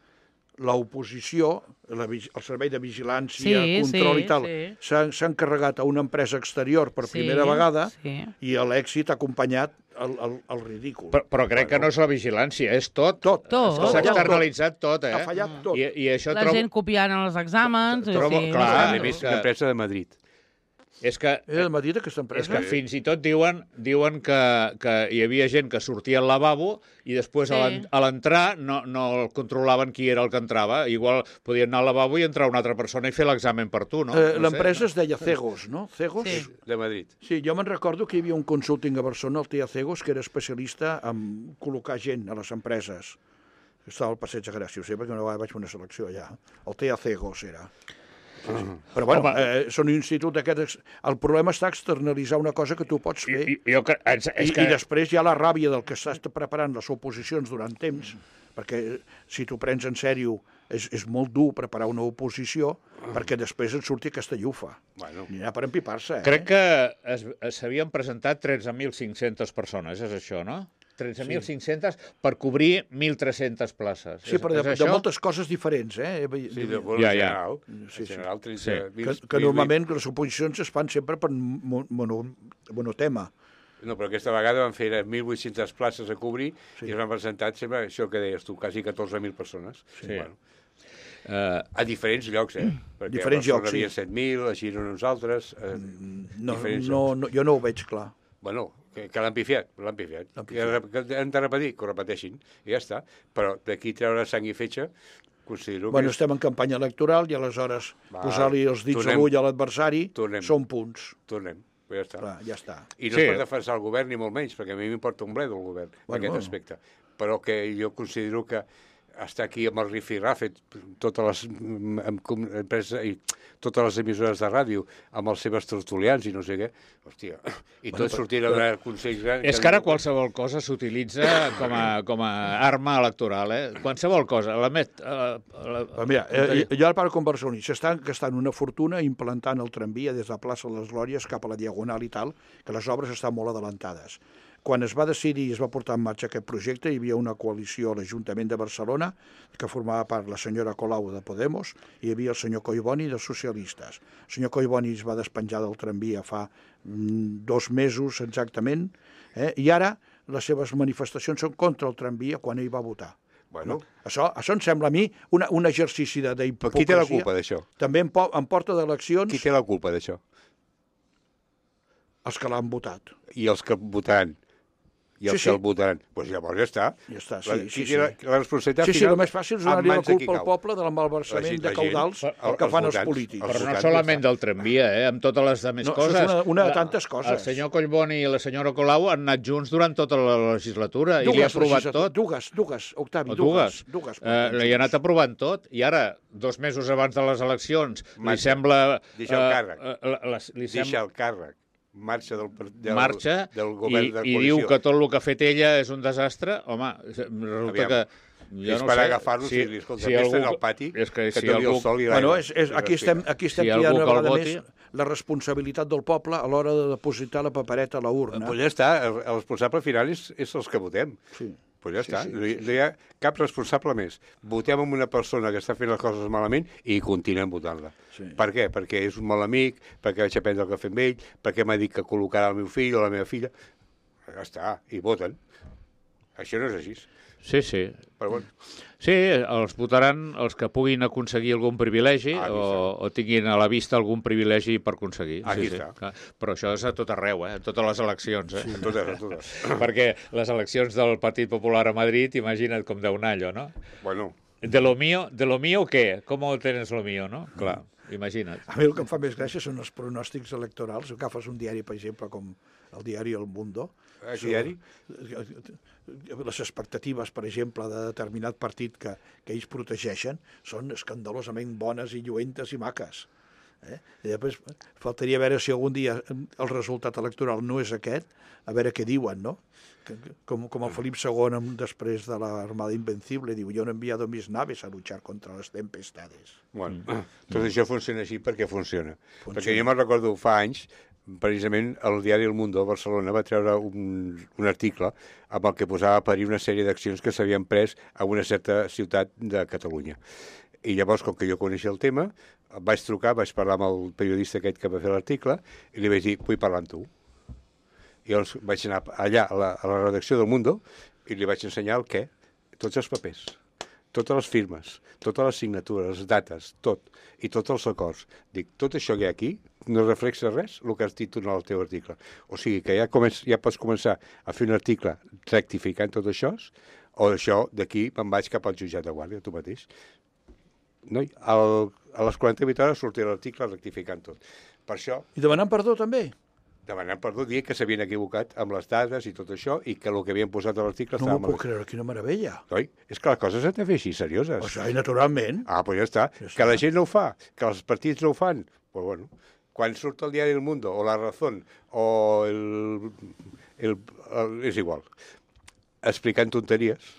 l'oposició, el servei de vigilància, control i tal, s'ha encarregat a una empresa exterior per primera vegada i l'èxit ha acompanyat el ridícul. Però crec que no és la vigilància, és tot. S'ha externalitzat tot, Ha fallat tot. La gent copiant els exàmens... Clar, a més, una empresa de Madrid. És que... Era Madrid, aquesta empresa? És que fins i tot diuen que hi havia gent que sortia al lavabo i després a l'entrar no controlaven qui era el que entrava. Igual podien anar al lavabo i entrar una altra persona i fer l'examen per tu, no? L'empresa es deia Cegos, no? Cegos? Sí, de Madrid. Sí, jo me'n recordo que hi havia un consulting a Barcelona, el TIA Cegos, que era especialista en col·locar gent a les empreses. Estava al Passeig de Gràcia, ho sé, perquè una vegada vaig fer una selecció allà. El TIA Cegos era... Sí. Però, bueno, són un institut d'aquests... El problema està externalitzar una cosa que tu pots fer. I després hi ha la ràbia del que estàs preparant les oposicions durant temps, perquè si t'ho prens en sèrio és molt dur preparar una oposició, perquè després et surti aquesta llufa. N'hi ha per empipar-se, Crec que s'havien presentat 13.500 persones, és això, no? 13.500 per cobrir 1.300 places. Sí, però de moltes coses diferents, Sí, de vol general. Que normalment les oposicions es fan sempre per monotema. No, però aquesta vegada van fer 1.800 places a cobrir i es van presentar, sempre això que deies tu, quasi 14.000 persones. A diferents llocs, Perquè a Barcelona hi havia 7.000, a Girona uns altres. Jo no ho veig clar. Bueno, que l'han pifiat. Que han de repetir, que ho repeteixin, i ja està. Però d'aquí treure sang i fetge, considero que... estem en campanya electoral i aleshores posar-li els dits a l'ull a l'adversari són punts. Tornem. Ja està. Clar, ja està. I no és per defensar el govern, ni molt menys, perquè a mi m'importa un bledo el govern, en aquest aspecte. Però que jo considero que està aquí amb el rifirrafe, totes les empreses i totes les emissores de ràdio, amb els seves tertulians i no sé què, hòstia, i tots sortint a donar consells... És que ara qualsevol cosa s'utilitza com a arma electoral, Qualsevol cosa. Mira, jo ara parlo com barceloní. S'estan gastant una fortuna implantant el tramvia des de la plaça de les Glòries cap a la Diagonal i tal, que les obres estan molt adelantades. Quan es va decidir i es va portar en marxa aquest projecte, hi havia una coalició a l'Ajuntament de Barcelona, que formava part la senyora Colau de Podemos, i hi havia el senyor Collboni de Socialistes. El senyor Collboni es va despenjar del tramvia fa 2 mesos exactament, i ara les seves manifestacions són contra el tramvia quan ell va votar. Bueno. Això em sembla a mi un exercici d'hipocresia. Però qui té la culpa d'això? També en porta d'eleccions... Qui té la culpa d'això? Els que l'han votat. I els que votaran? I els que el votaran. Doncs llavors ja està. Ja està, sí. La responsabilitat final... el més fàcil és donar-li la culpa al poble del malversament de caudals que fan els polítics. Però no solament del tramvia, amb totes les altres coses. És una de tantes coses. El senyor Collboni i la senyora Colau han anat junts durant tota la legislatura i li ha aprovat tot. Dues, Octavi, dues. Li ha anat aprovant tot i ara, 2 mesos abans de les eleccions, li sembla... Deixa el càrrec. Deixa el càrrec. Marxa del govern de coalició. I diu que tot el que ha fet ella és un desastre. Home, resulta que... És per agafar-los i dir, escolta, aquesta en el pati, que doni el sol i l'aigua. Aquí estem tirant una vegada més la responsabilitat del poble a l'hora de depositar la papereta a la urna. Pues ja està, el responsable final és els que votem. Sí. Pues ja està, no hi ha cap responsable més. Votem amb una persona que està fent les coses malament i continuem votant-la. Sí. Per què? Perquè és un mal amic, perquè vaig aprendre el cafè amb ell, perquè m'ha dit que col·locarà el meu fill o la meva filla. Ja està, i voten. Això no és així. Sí. Però bueno. Sí, els votaran els que puguin aconseguir algun privilegi o tinguin a la vista algun privilegi per aconseguir. Aquí està. Però això és a tot arreu, a totes les eleccions. Sí, a totes. Perquè les eleccions del Partit Popular a Madrid, imagina't com deu un allò, no? Bueno. De lo mío, ¿qué? ¿Cómo tienes lo mío, no? Clar, imagina't. A mi el que em fa més gràcia són els pronòstics electorals. Si agafes un diari, per exemple, com el diari El Mundo... diari? Les expectatives, per exemple, de determinat partit que ells protegeixen són escandalosament bones i lluentes i maques. I després faltaria veure si algun dia el resultat electoral no és aquest, a veure què diuen, no? Com el Felip II després de l'Armada Invencible diu, yo no he enviado mis naves a luchar contra les tempestades. Bueno, tot això funciona així perquè funciona. Perquè jo me'n recordo fa anys, precisament el diari El Mundo a Barcelona va treure un article amb el que posava a parir una sèrie d'accions que s'havien pres a una certa ciutat de Catalunya. I llavors, com que jo coneixia el tema, vaig trucar, vaig parlar amb el periodista aquest que va fer l'article i li vaig dir, vull parlar amb tu. I llavors vaig anar allà a la redacció del Mundo i li vaig ensenyar el què, tots els papers, totes les firmes, totes les signatures, les dates, tot, i tots els acords. Dic, tot això que hi ha aquí no reflexa res el que has dit en el teu article. O sigui que ja pots començar a fer un article rectificant tot això, o això d'aquí me'n vaig cap al jutjat de guàrdia, tu mateix. No? A les 48 hores sortirà l'article rectificant tot. Per això... I demanant perdó, també? Demanant perdó, dient que s'havien equivocat amb les dades i tot això, i que el que havien posat a l'article estava... No m'ho puc creure, quina meravella. Oi? És que les coses s'han de fer així, serioses. O sigui, naturalment. Doncs ja està. Que la gent no ho fa, que els partits no ho fan, doncs bueno, quan surt el diari El Mundo, o La Razón, o és igual, explicant tonteries,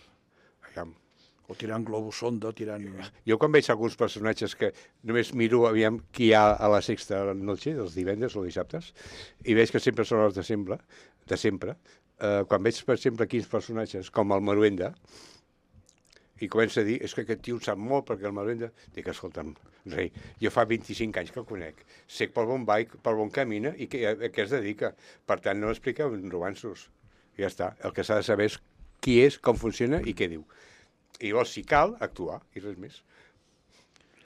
o tirant globus sonda, tirant... Jo quan veig alguns personatges que només miro aviam qui hi ha a la Sexta Noche, els divendres o dissabtes, i veig que sempre són els de sempre. Quan veig, per exemple, quins personatges, com el Maruenda, i comença a dir, és que aquest tio sap molt perquè el Maruenda... Dic, escolta'm, rei, jo fa 25 anys que el conec, sé per on va i per on camina i a què es dedica. Per tant, no expliqueu romanços. Ja està. El que s'ha de saber és qui és, com funciona i què diu. I llavors, si cal, actuar, i res més.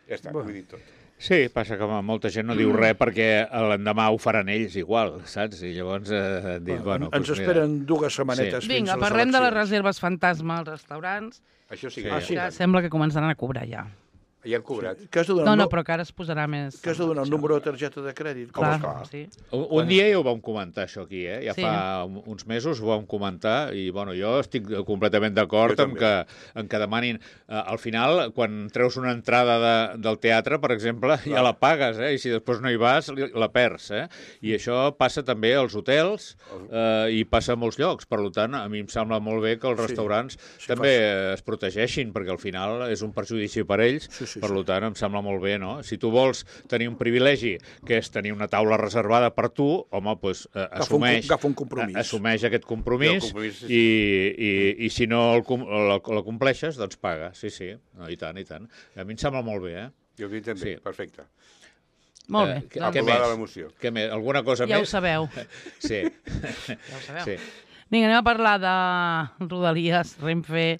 Ja està, ho he dit tot. Sí, passa que molta gent no diu res perquè l'endemà ho faran ells igual, saps? I llavors dic, bueno... Ens esperen 2 setmanetes fins a les eleccions. Vinga, parlem de les reserves fantasma als restaurants. Això sí. Que sembla que començaran a cobrar ja. Ja han cobrat. No, però que ara es posarà més... Que has de donar el número de targeta de crèdit? Clar, sí. Un dia ja ho vam comentar, això aquí, Ja fa uns mesos ho vam comentar i, bueno, jo estic completament d'acord amb que demanin... Al final, quan treus una entrada del teatre, per exemple, ja la pagues, I si després no hi vas, la perds, I això passa també als hotels i passa a molts llocs. Per tant, a mi em sembla molt bé que els restaurants també es protegeixin, perquè al final és un perjudici per ells. Per tant, em sembla molt bé, no? Si tu vols tenir un privilegi, que és tenir una taula reservada per tu, home, doncs assumeix aquest compromís i si no la compleixes, doncs paga. Sí, I tant, i tant. A mi em sembla molt bé, Jo crec també, perfecte. Molt bé. Què més? Què més? Alguna cosa més? Ja ho sabeu. Sí. Ja ho sabeu. Vinga, anem a parlar de Rodalies, Renfe...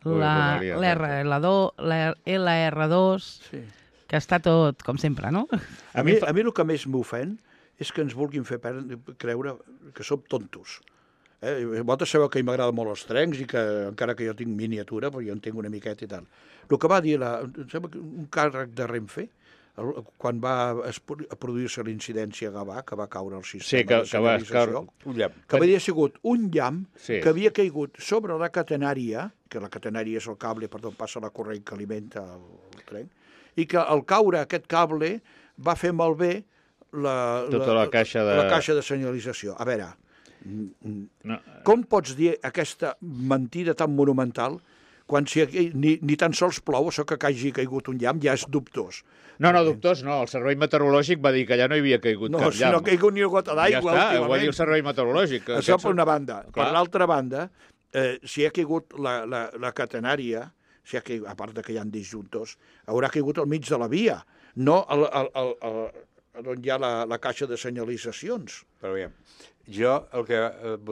l'LR2, que està tot com sempre, no? A mi el que més m'ofèn és que ens vulguin fer creure que som tontos. Vosaltres sabeu que m'agrada molt els trens i que encara que jo tinc miniatura, però jo en tinc una miqueta i tal. El que va dir un càrrec de Renfe, quan va produir-se l'incidència a Gavà, que va caure el sistema de senyalització, que havia sigut un llamp que havia caigut sobre la catenària, que la catenària és el cable per on passa la corrent que alimenta el tren, i que al caure aquest cable va fer malbé la caixa de senyalització. A veure, com pots dir aquesta mentida tan monumental quan ni tan sols plou, això que hagi caigut un llamp ja és dubtós. No, dubtós no. El servei meteorològic va dir que allà no hi havia caigut cap llamp. No, si no ha caigut ni una gota d'aigua últimament. Ja està, ho va dir el servei meteorològic. Això per una banda. Per l'altra banda, si ha caigut la catenària, a part que hi ha disjuntors, haurà caigut al mig de la via, no on hi ha la caixa de senyalitzacions. Però bé, jo el que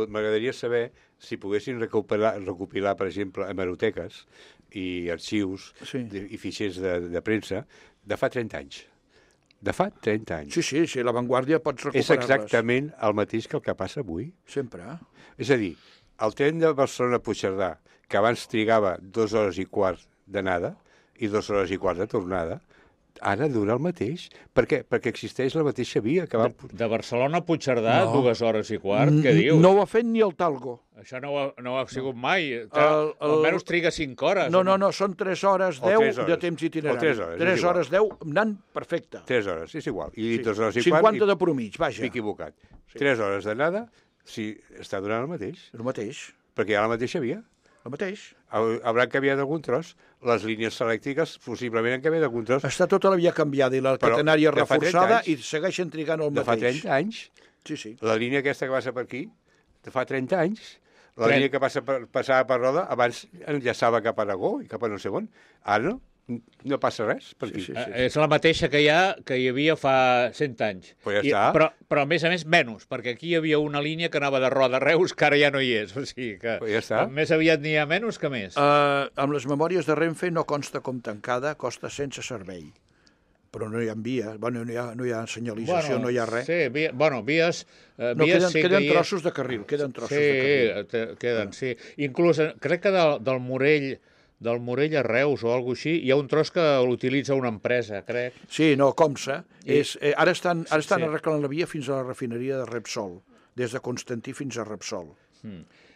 m'agradaria saber, si poguessin recopilar, per exemple, hemeroteques i arxius i fitxers de premsa de fa 30 anys. De fa 30 anys. Sí, la Vanguardia pots recuperar-les. És exactament el mateix que el que passa avui. Sempre. És a dir, el tren de Barcelona-Puigcerdà, que abans trigava 2 hores i quart d'anada i 2 hores i quart de tornada, ara dura el mateix. Per què? Perquè existeix la mateixa via. De Barcelona a Puigcerdà, 2 hores i quart? Què dius? No ho ha fet ni el Talgo. Això no ho ha sigut mai. Almenys triga 5 hores. No, són 3 hores 10 de temps itinerari. 3 hores 10 anant perfecte. 3 hores, és igual. I 2 hores i quart... 50 de promig, vaja. M'he equivocat. 3 hores d'anada, si està durant el mateix. El mateix. Perquè hi ha la mateixa via. El mateix. Haurà canviat algun tros. Les línies elèctriques possiblement han canviat algun tros. Està tota la via canviada i la catenària reforçada i segueixen trigant el mateix. De fa 30 anys. Sí. La línia aquesta que passa per aquí, de fa 30 anys. La línia que passava per Roda, abans enllaçava cap a Aragó i cap a no sé on. Ara no passa res per aquí. Sí. És la mateixa que hi havia fa 100 anys. Pues ja està. Però a més menys, perquè aquí hi havia una línia que anava de Roda a Reus, que ara ja no hi és. O sigui que ja està. Més aviat n'hi ha menys que més. Amb les memòries de Renfe no consta com tancada, costa sense servei. Però no hi ha vies, no hi ha senyalització, no hi ha res. Sí, vies... Queden trossos de carril, queden, sí. Inclús, crec que del Morell a Reus o alguna cosa així, hi ha un tros que l'utilitza una empresa, crec. Sí, Comsa. Ara estan arreglant la via fins a la refineria de Repsol, des de Constantí fins a Repsol.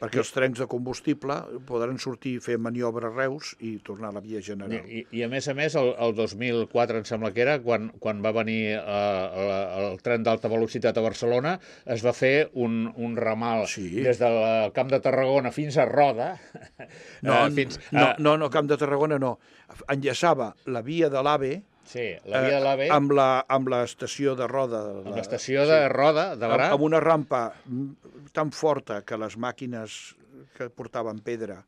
Perquè els trens de combustible podran sortir, fer maniobra a Reus i tornar a la via general. I a més, el 2004, em sembla que era, quan va venir el tren d'alta velocitat a Barcelona, es va fer un ramal des del Camp de Tarragona fins a Roda. No, Camp de Tarragona no. Enllaçava la via de l'AVE amb l'estació de Roda. Amb l'estació de Roda, de Gra. Amb una rampa tan forta que les màquines que portaven pedra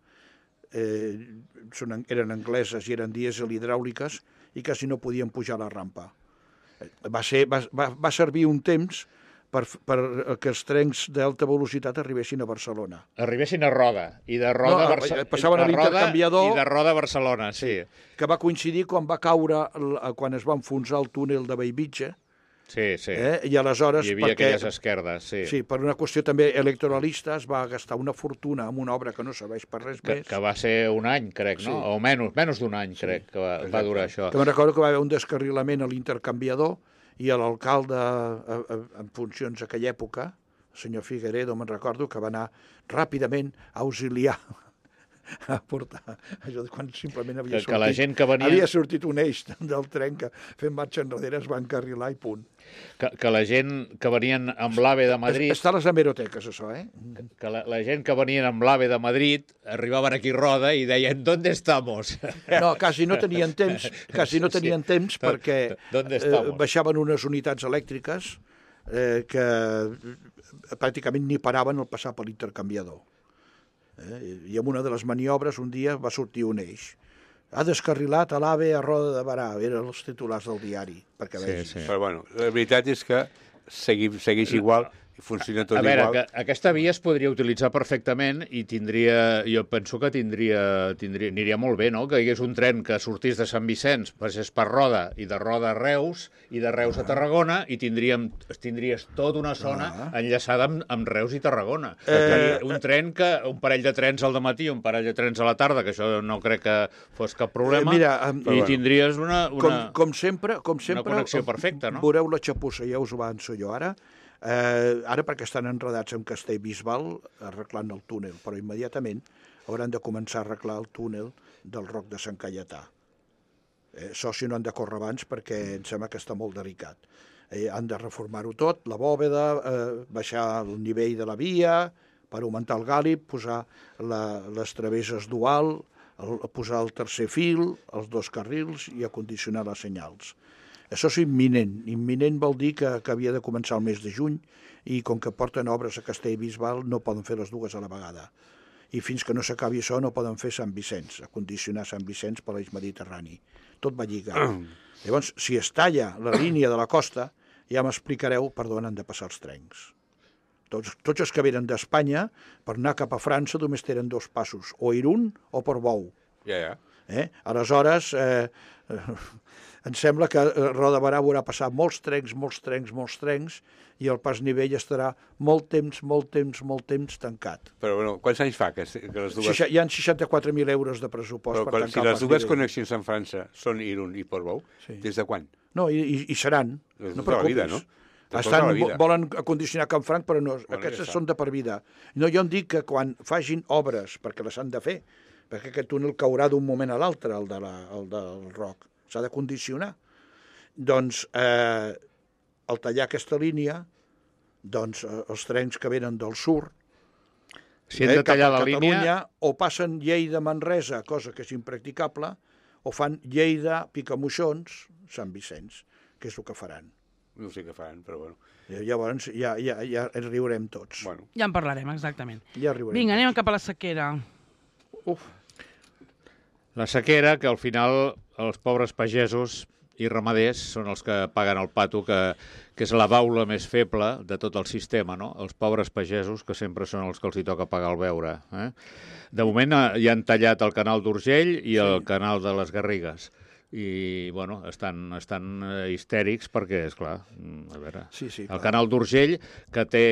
eren angleses i eren dièsel hidràuliques i quasi no podien pujar la rampa. Va servir un temps que els trens d'alta velocitat arribessin a Barcelona. Arribessin a Roda, i de Roda passaven a l'intercanviador... I de Roda a Barcelona, sí. Que va coincidir quan va caure, quan es va enfonsar el túnel de Bellvitge. Sí, sí. I aleshores... Hi havia aquelles esquerdes, sí. Sí, per una qüestió també electoralista es va gastar una fortuna en una obra que no serveix per res més. Que va ser un any, crec, no? O menys d'un any, crec, que va durar això. Que me'n recordo que va haver un descarrilament a l'intercanviador i l'alcalde en funcions d'aquella època, el senyor Figueredo, me'n recordo, que va anar ràpidament a auxiliar a portar això quan simplement havia sortit, la gent que venia... havia sortit un eix del tren que fent marxa enrere es va encarrilar i punt. Que la gent que venien amb l'AVE de Madrid... Està a les hemeroteques, això, Que la gent que venien amb l'AVE de Madrid arribaven aquí a Roda i deien ¿dónde estamos? No, quasi no tenien temps perquè baixaven unes unitats elèctriques que pràcticament ni paraven al passar per l'intercanviador. I en una de les maniobres un dia va sortir un eix. Ha descarrilat a l'AVE a Roda de Barà. Eren els titulars del diari, perquè vegis. Sí. Però bueno, la veritat és que segueix igual i funciona tot igual. A veure, aquesta via es podria utilitzar perfectament i jo penso que aniria molt bé, no?, que hi hagués un tren que sortís de Sant Vicenç, passés per Roda, i de Roda a Reus, i de Reus a Tarragona, i tindries tota una zona enllaçada amb Reus i Tarragona. Un parell de trens al dematí, un parell de trens a la tarda, que això no crec que fos cap problema, i tindries una connexió perfecta, no? Veureu la xapussa, ja us ho avanço jo ara, perquè estan enredats amb Castellbisbal arreglant el túnel, però immediatament hauran de començar a arreglar el túnel del Roc de Sant Caietà. Això si no han de córrer abans perquè em sembla que està molt delicat. Han de reformar-ho tot, la bòveda, baixar el nivell de la via per augmentar el gàlib, posar les travesses dual, posar el tercer fil, els 2 carrils i acondicionar les senyals. Això és imminent. Imminent vol dir que havia de començar el mes de juny i com que porten obres a Castellbisbal no poden fer les dues a la vegada. I fins que no s'acabi això no poden fer Sant Vicenç, acondicionar Sant Vicenç per l'eix mediterrani. Tot va lligat. Llavors, si es talla la línia de la costa, ja m'explicareu per on han de passar els trens. Tots els que venen d'Espanya, per anar cap a França, només tenen 2 passos, o Irún o Portbou. Aleshores, em sembla que a Roda de Barà haurà passat molts trens, i el pas nivell estarà molt temps tancat. Però, bueno, quants anys fa que les dues... Hi ha 64.000 euros de pressupost per tancar el pas nivell. Si les dues connexions amb França són Irún i Portbou, des de quan? No, i seran. No preocupis. No? Volen acondicionar Can Franc, però no, aquestes són de per vida. No, jo em dic que quan facin obres, perquè les han de fer, perquè aquest túnel caurà d'un moment a l'altre, el del Roc, s'ha de condicionar. Doncs, al tallar aquesta línia, doncs els trens que venen del sud, si hem de tallar la línia, o passen Lleida-Manresa, cosa que és impracticable, o fan Lleida-Picamoixons, Sant Vicenç, que és el que faran. No sé què faran, però bueno. Llavors ja riurem tots. Bueno. Ja en parlarem, exactament. Ja riurem. Vinga, anem cap a la sequera. La sequera, que al final els pobres pagesos i ramaders són els que paguen el pato, que és la baula més feble de tot el sistema, no? Els pobres pagesos, que sempre són els que els hi toca pagar el beure. De moment ja han tallat el canal d'Urgell i el canal de les Garrigues. I, bueno, estan histèrics perquè, esclar, a veure, el canal d'Urgell, que té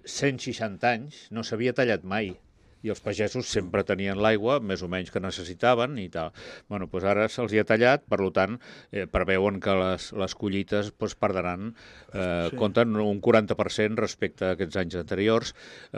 160 anys, no s'havia tallat mai. I els pagesos sempre tenien l'aigua, més o menys que necessitaven i tal. Bueno, doncs ara se'ls hi ha tallat, per tant, preveuen que les collites perdran, compten un 40% respecte a aquests anys anteriors.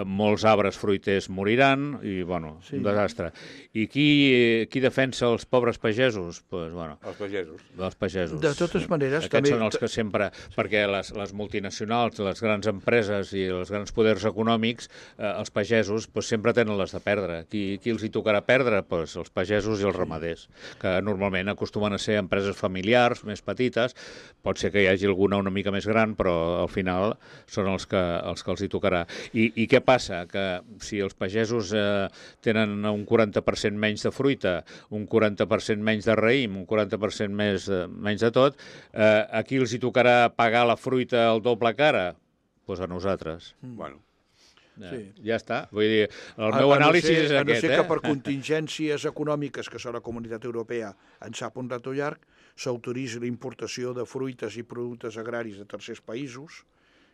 Molts arbres fruiters moriran i, bueno, un desastre. I qui defensa els pobres pagesos? Doncs, bueno, els pagesos. De totes maneres... Aquests són els que sempre... Perquè les multinacionals, les grans empreses i els grans poders econòmics, els pagesos sempre tenen les de perdre. Qui els hi tocarà perdre? Pues els pagesos i els ramaders, que normalment acostumen a ser empreses familiars, més petites. Pot ser que hi hagi alguna una mica més gran, però al final són els que els hi tocarà. I què passa? Que si els pagesos tenen un 40% menys de fruita, un 40% menys de raïm, un 40% menys de tot, a qui els hi tocarà pagar la fruita al doble cara? Doncs a nosaltres. Bueno. Ja està. Vull dir, el meu anàlisi és aquest. A no ser que per contingències econòmiques que la Comunitat Europea en sap un rato llarg, s'autoritzi la importació de fruites i productes agraris de tercers països,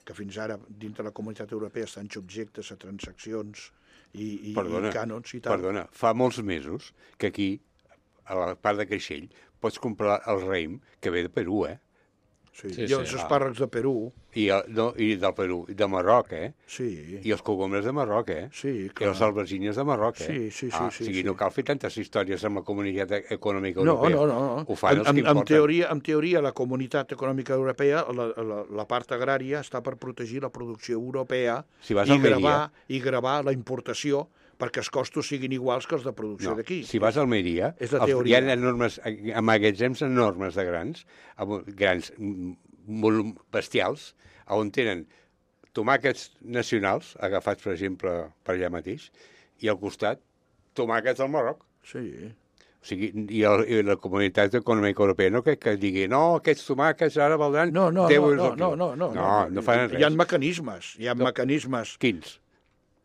que fins ara dintre la Comunitat Europea estan subjectes a transaccions i cànons i tal. Perdona, fa molts mesos que aquí, a la part de Creixell, pots comprar el raïm que ve de Perú, Sí, i els espàrrecs de Perú. I del Perú, i de Marroc, Sí. I els cogombres de Marroc, Sí, I clar. les albergínies de Marroc, Sí. O sigui, no cal fer tantes històries amb la Comunitat Econòmica Europea. No. Ho fan els que importen. En teoria, la Comunitat Econòmica Europea, la part agrària, està per protegir la producció europea i gravar la importació perquè els costos siguin iguals que els de producció d'aquí. Si vas a Almeria, hi ha enormes magatzems enormes de grans molt bestials, on tenen tomàquets nacionals, agafats, per exemple, per allà mateix, i al costat, tomàquets del Marroc. Sí. O sigui, i la Comunitat Econòmica Europea no que digui, no, aquests tomàquets ara valdran 10 euros al quilo. No fan res. Hi ha mecanismes. Quins?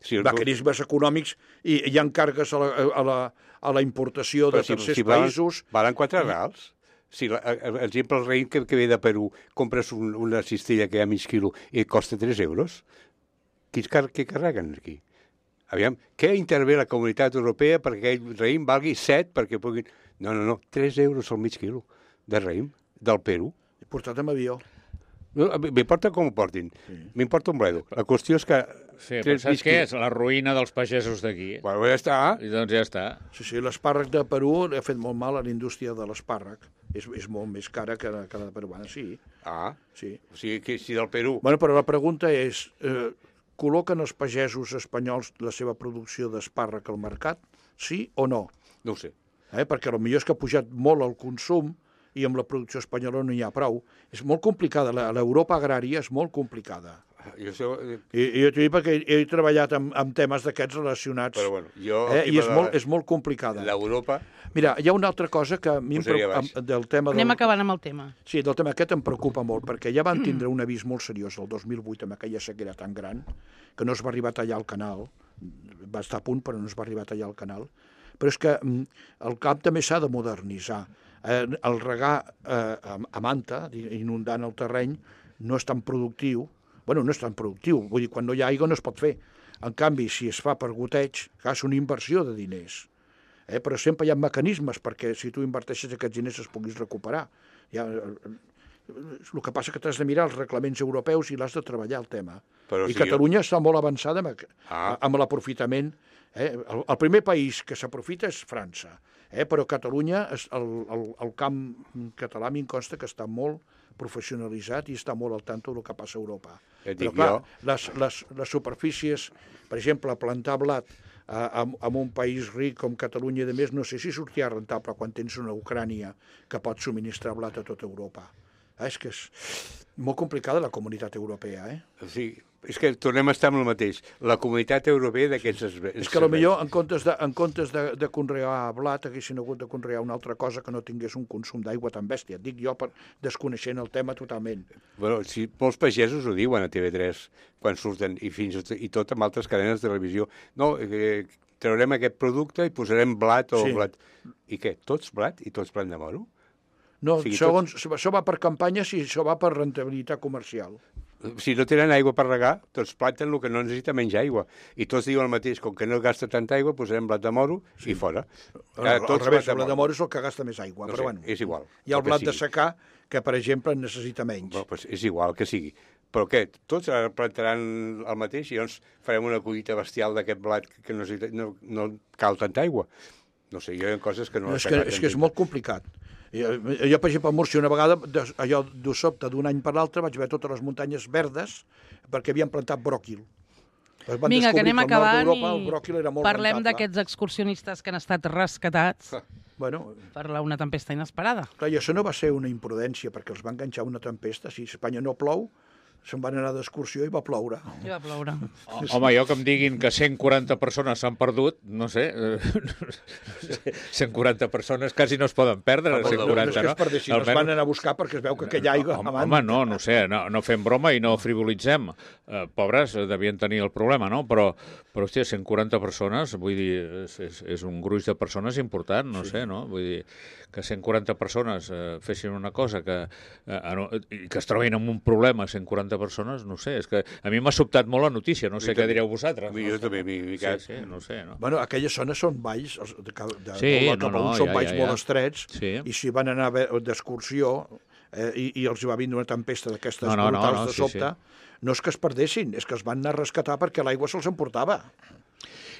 Mecanismes econòmics i hi ha càrregues a la importació de tercers països. Valen 4 reals. Si, per exemple, el raïm que ve de Perú, compres una cistella que hi ha mig quilo i costa 3 euros, què carreguen aquí? Aviam, què intervé la Comunitat Europea perquè aquell raïm valgui 7 perquè puguin... No, 3 euros al mig quilo de raïm del Perú. I portat amb avió. M'importa com ho portin. M'importa un bledo. La qüestió és que... Sí, però saps què és? La ruïna dels pagesos d'aquí. Bueno, ja està. I doncs ja està. Sí, l'espàrrec de Perú ha fet molt mal a la indústria de l'espàrrec. És molt més cara que la de peruana, sí. Sí. O sigui, que si del Perú... Bueno, però la pregunta és, col·loquen els pagesos espanyols la seva producció d'espàrrec al mercat? Sí o no? No ho sé. Perquè potser és que ha pujat molt el consum i amb la producció espanyola no hi ha prou. És molt complicada, l'Europa agrària és molt complicada. I jo t'ho dic perquè he treballat amb temes d'aquests relacionats. Però bueno, i és molt complicada. L'Europa... Mira, hi ha una altra cosa que a mi del tema... Anem acabant amb el tema. Sí, del tema aquest em preocupa molt, perquè ja van tindre un avís molt seriós el 2008 amb aquella sequera tan gran que no es va arribar a tallar el canal. Va estar a punt, però no es va arribar a tallar el canal. Però és que el camp també s'ha de modernitzar. El regar a manta, inundant el terreny, no és tan productiu. Bueno, no és tan productiu, vull dir, quan no hi ha aigua no es pot fer. En canvi, si es fa per goteig, és una inversió de diners. Però sempre hi ha mecanismes perquè si tu inverteixes aquests diners es puguis recuperar. El que passa que t'has de mirar els reglaments europeus i l'has de treballar el tema. I Catalunya està molt avançada amb l'aprofitament. El primer país que s'aprofita és França, però Catalunya, el camp català a mi em consta que està molt professionalitzat i està molt al tanto del que passa a Europa. Però clar, les superfícies, per exemple, plantar blat en un país ric com Catalunya i de més, no sé si sortirà rentable quan tens una Ucrània que pot subministrar blat a tota Europa. És que és molt complicada la Comunitat Europea, Sí, és que tornem a estar amb el mateix. La Comunitat Europea d'aquests... És que potser en comptes de conrear blat haguessin hagut de conrear una altra cosa que no tingués un consum d'aigua tan bèstia. Dic jo desconeixent el tema totalment. Bueno, si molts pagesos ho diuen a TV3 quan surten i tot amb altres cadenes de televisió. No, traurem aquest producte i posarem blat o blat. I què? Tots blat i tots blat de moro? No, això va per campanyes i això va per rentabilitat comercial. Si no tenen aigua per regar, tots planten el que no necessita menys aigua. I tots diuen el mateix, com que no gasta tanta aigua, posarem blat de moro i fora. Al revés, el blat de moro és el que gasta més aigua, però bueno. És igual. Hi ha el blat de secà, que per exemple necessita menys. Doncs és igual que sigui. Però què? Tots plantaran el mateix i llavors farem una collita bestial d'aquest blat que no cal tanta aigua. No sé, hi ha coses que no... És que és molt complicat. Jo, per exemple, a Múrcia, una vegada, allò de sobte, d'un any per l'altre, vaig veure totes les muntanyes verdes perquè havien plantat bròquil. Vinga, que anem acabant i parlem d'aquests excursionistes que han estat rescatats per una tempesta inesperada. Clar, i això no va ser una imprudència, perquè els va enganxar una tempesta. Si a Espanya no plou, se'n van anar d'excursió i va ploure. Home, jo que em diguin que 140 persones s'han perdut, no sé, 140 persones quasi no es poden perdre, 140, no? No és que es perdessin, els van anar a buscar perquè es veu que aquella aigua... Home, no sé, no fem broma i no frivolitzem. Pobres, devien tenir el problema, no? Però hòstia, 140 persones, vull dir, és un gruix de persones important, no sé, no? Vull dir, que 140 persones fessin una cosa que es trobin amb un problema, 140 persones, no sé, és que a mi m'ha sobtat molt la notícia, no sé què direu vosaltres. Jo també m'he micat. Sí, no sé, no? Bueno, aquelles zones són valls, són valls molt estrets, i si van anar d'excursió i els va vindre una tempesta d'aquestes brutals de sobte, no és que es perdessin, és que es van anar a rescatar perquè l'aigua se'ls emportava.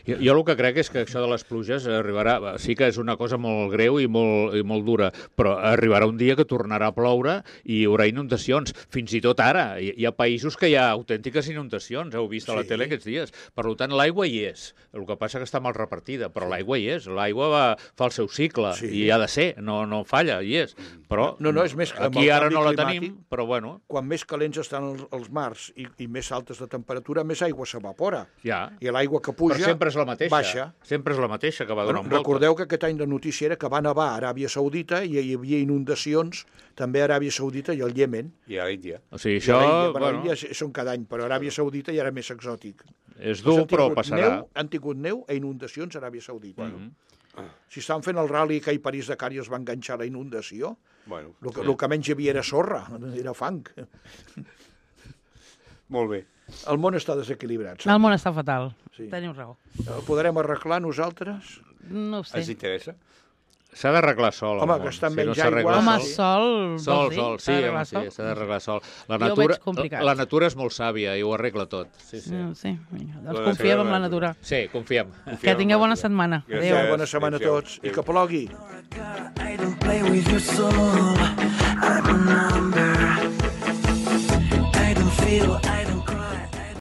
Jo el que crec és que això de les pluges arribarà... Sí que és una cosa molt greu i molt dura, però arribarà un dia que tornarà a ploure i hi haurà inundacions. Fins i tot ara. Hi ha països que hi ha autèntiques inundacions, heu vist a la tele aquests dies. Per tant, l'aigua hi és. El que passa que està mal repartida, però l'aigua hi és. L'aigua fa el seu cicle i ha de ser, no falla, hi és. Però és més que aquí ara no la tenim, però bueno... Quan més calents estan els mars i més altes de temperatura, més aigua s'evapora. I l'aigua que puja... és la mateixa. Baixa. Sempre és la mateixa que va donant volta. Recordeu que aquest any la notícia era que va nevar a Aràbia Saudita i hi havia inundacions també a Aràbia Saudita i al Iemen. I a l'Índia. O sigui, això... L'Índia són cada any, però a Aràbia Saudita ja era més exòtic. És dur, però passarà. Han tingut neu a inundacions a Aràbia Saudita. Si estan fent el rally que a París-Dakar i es va enganxar la inundació, el que menys hi havia era sorra, era fang. Molt bé. El món està desequilibrat. El món està fatal. Teniu raó. El podrem arreglar nosaltres? No ho sé. Els interessa? S'ha d'arreglar sol. Home, que està menys aigua. Home, sol. Sol, sí, s'ha d'arreglar sol. La natura és molt sàvia i ho arregla tot. Sí. Doncs confiem en la natura. Sí, confiem. Que tingueu bona setmana. Adéu. Bona setmana a tots. I que plogui. I don't play with your soul. I'm a number. I don't feel, I don't cry.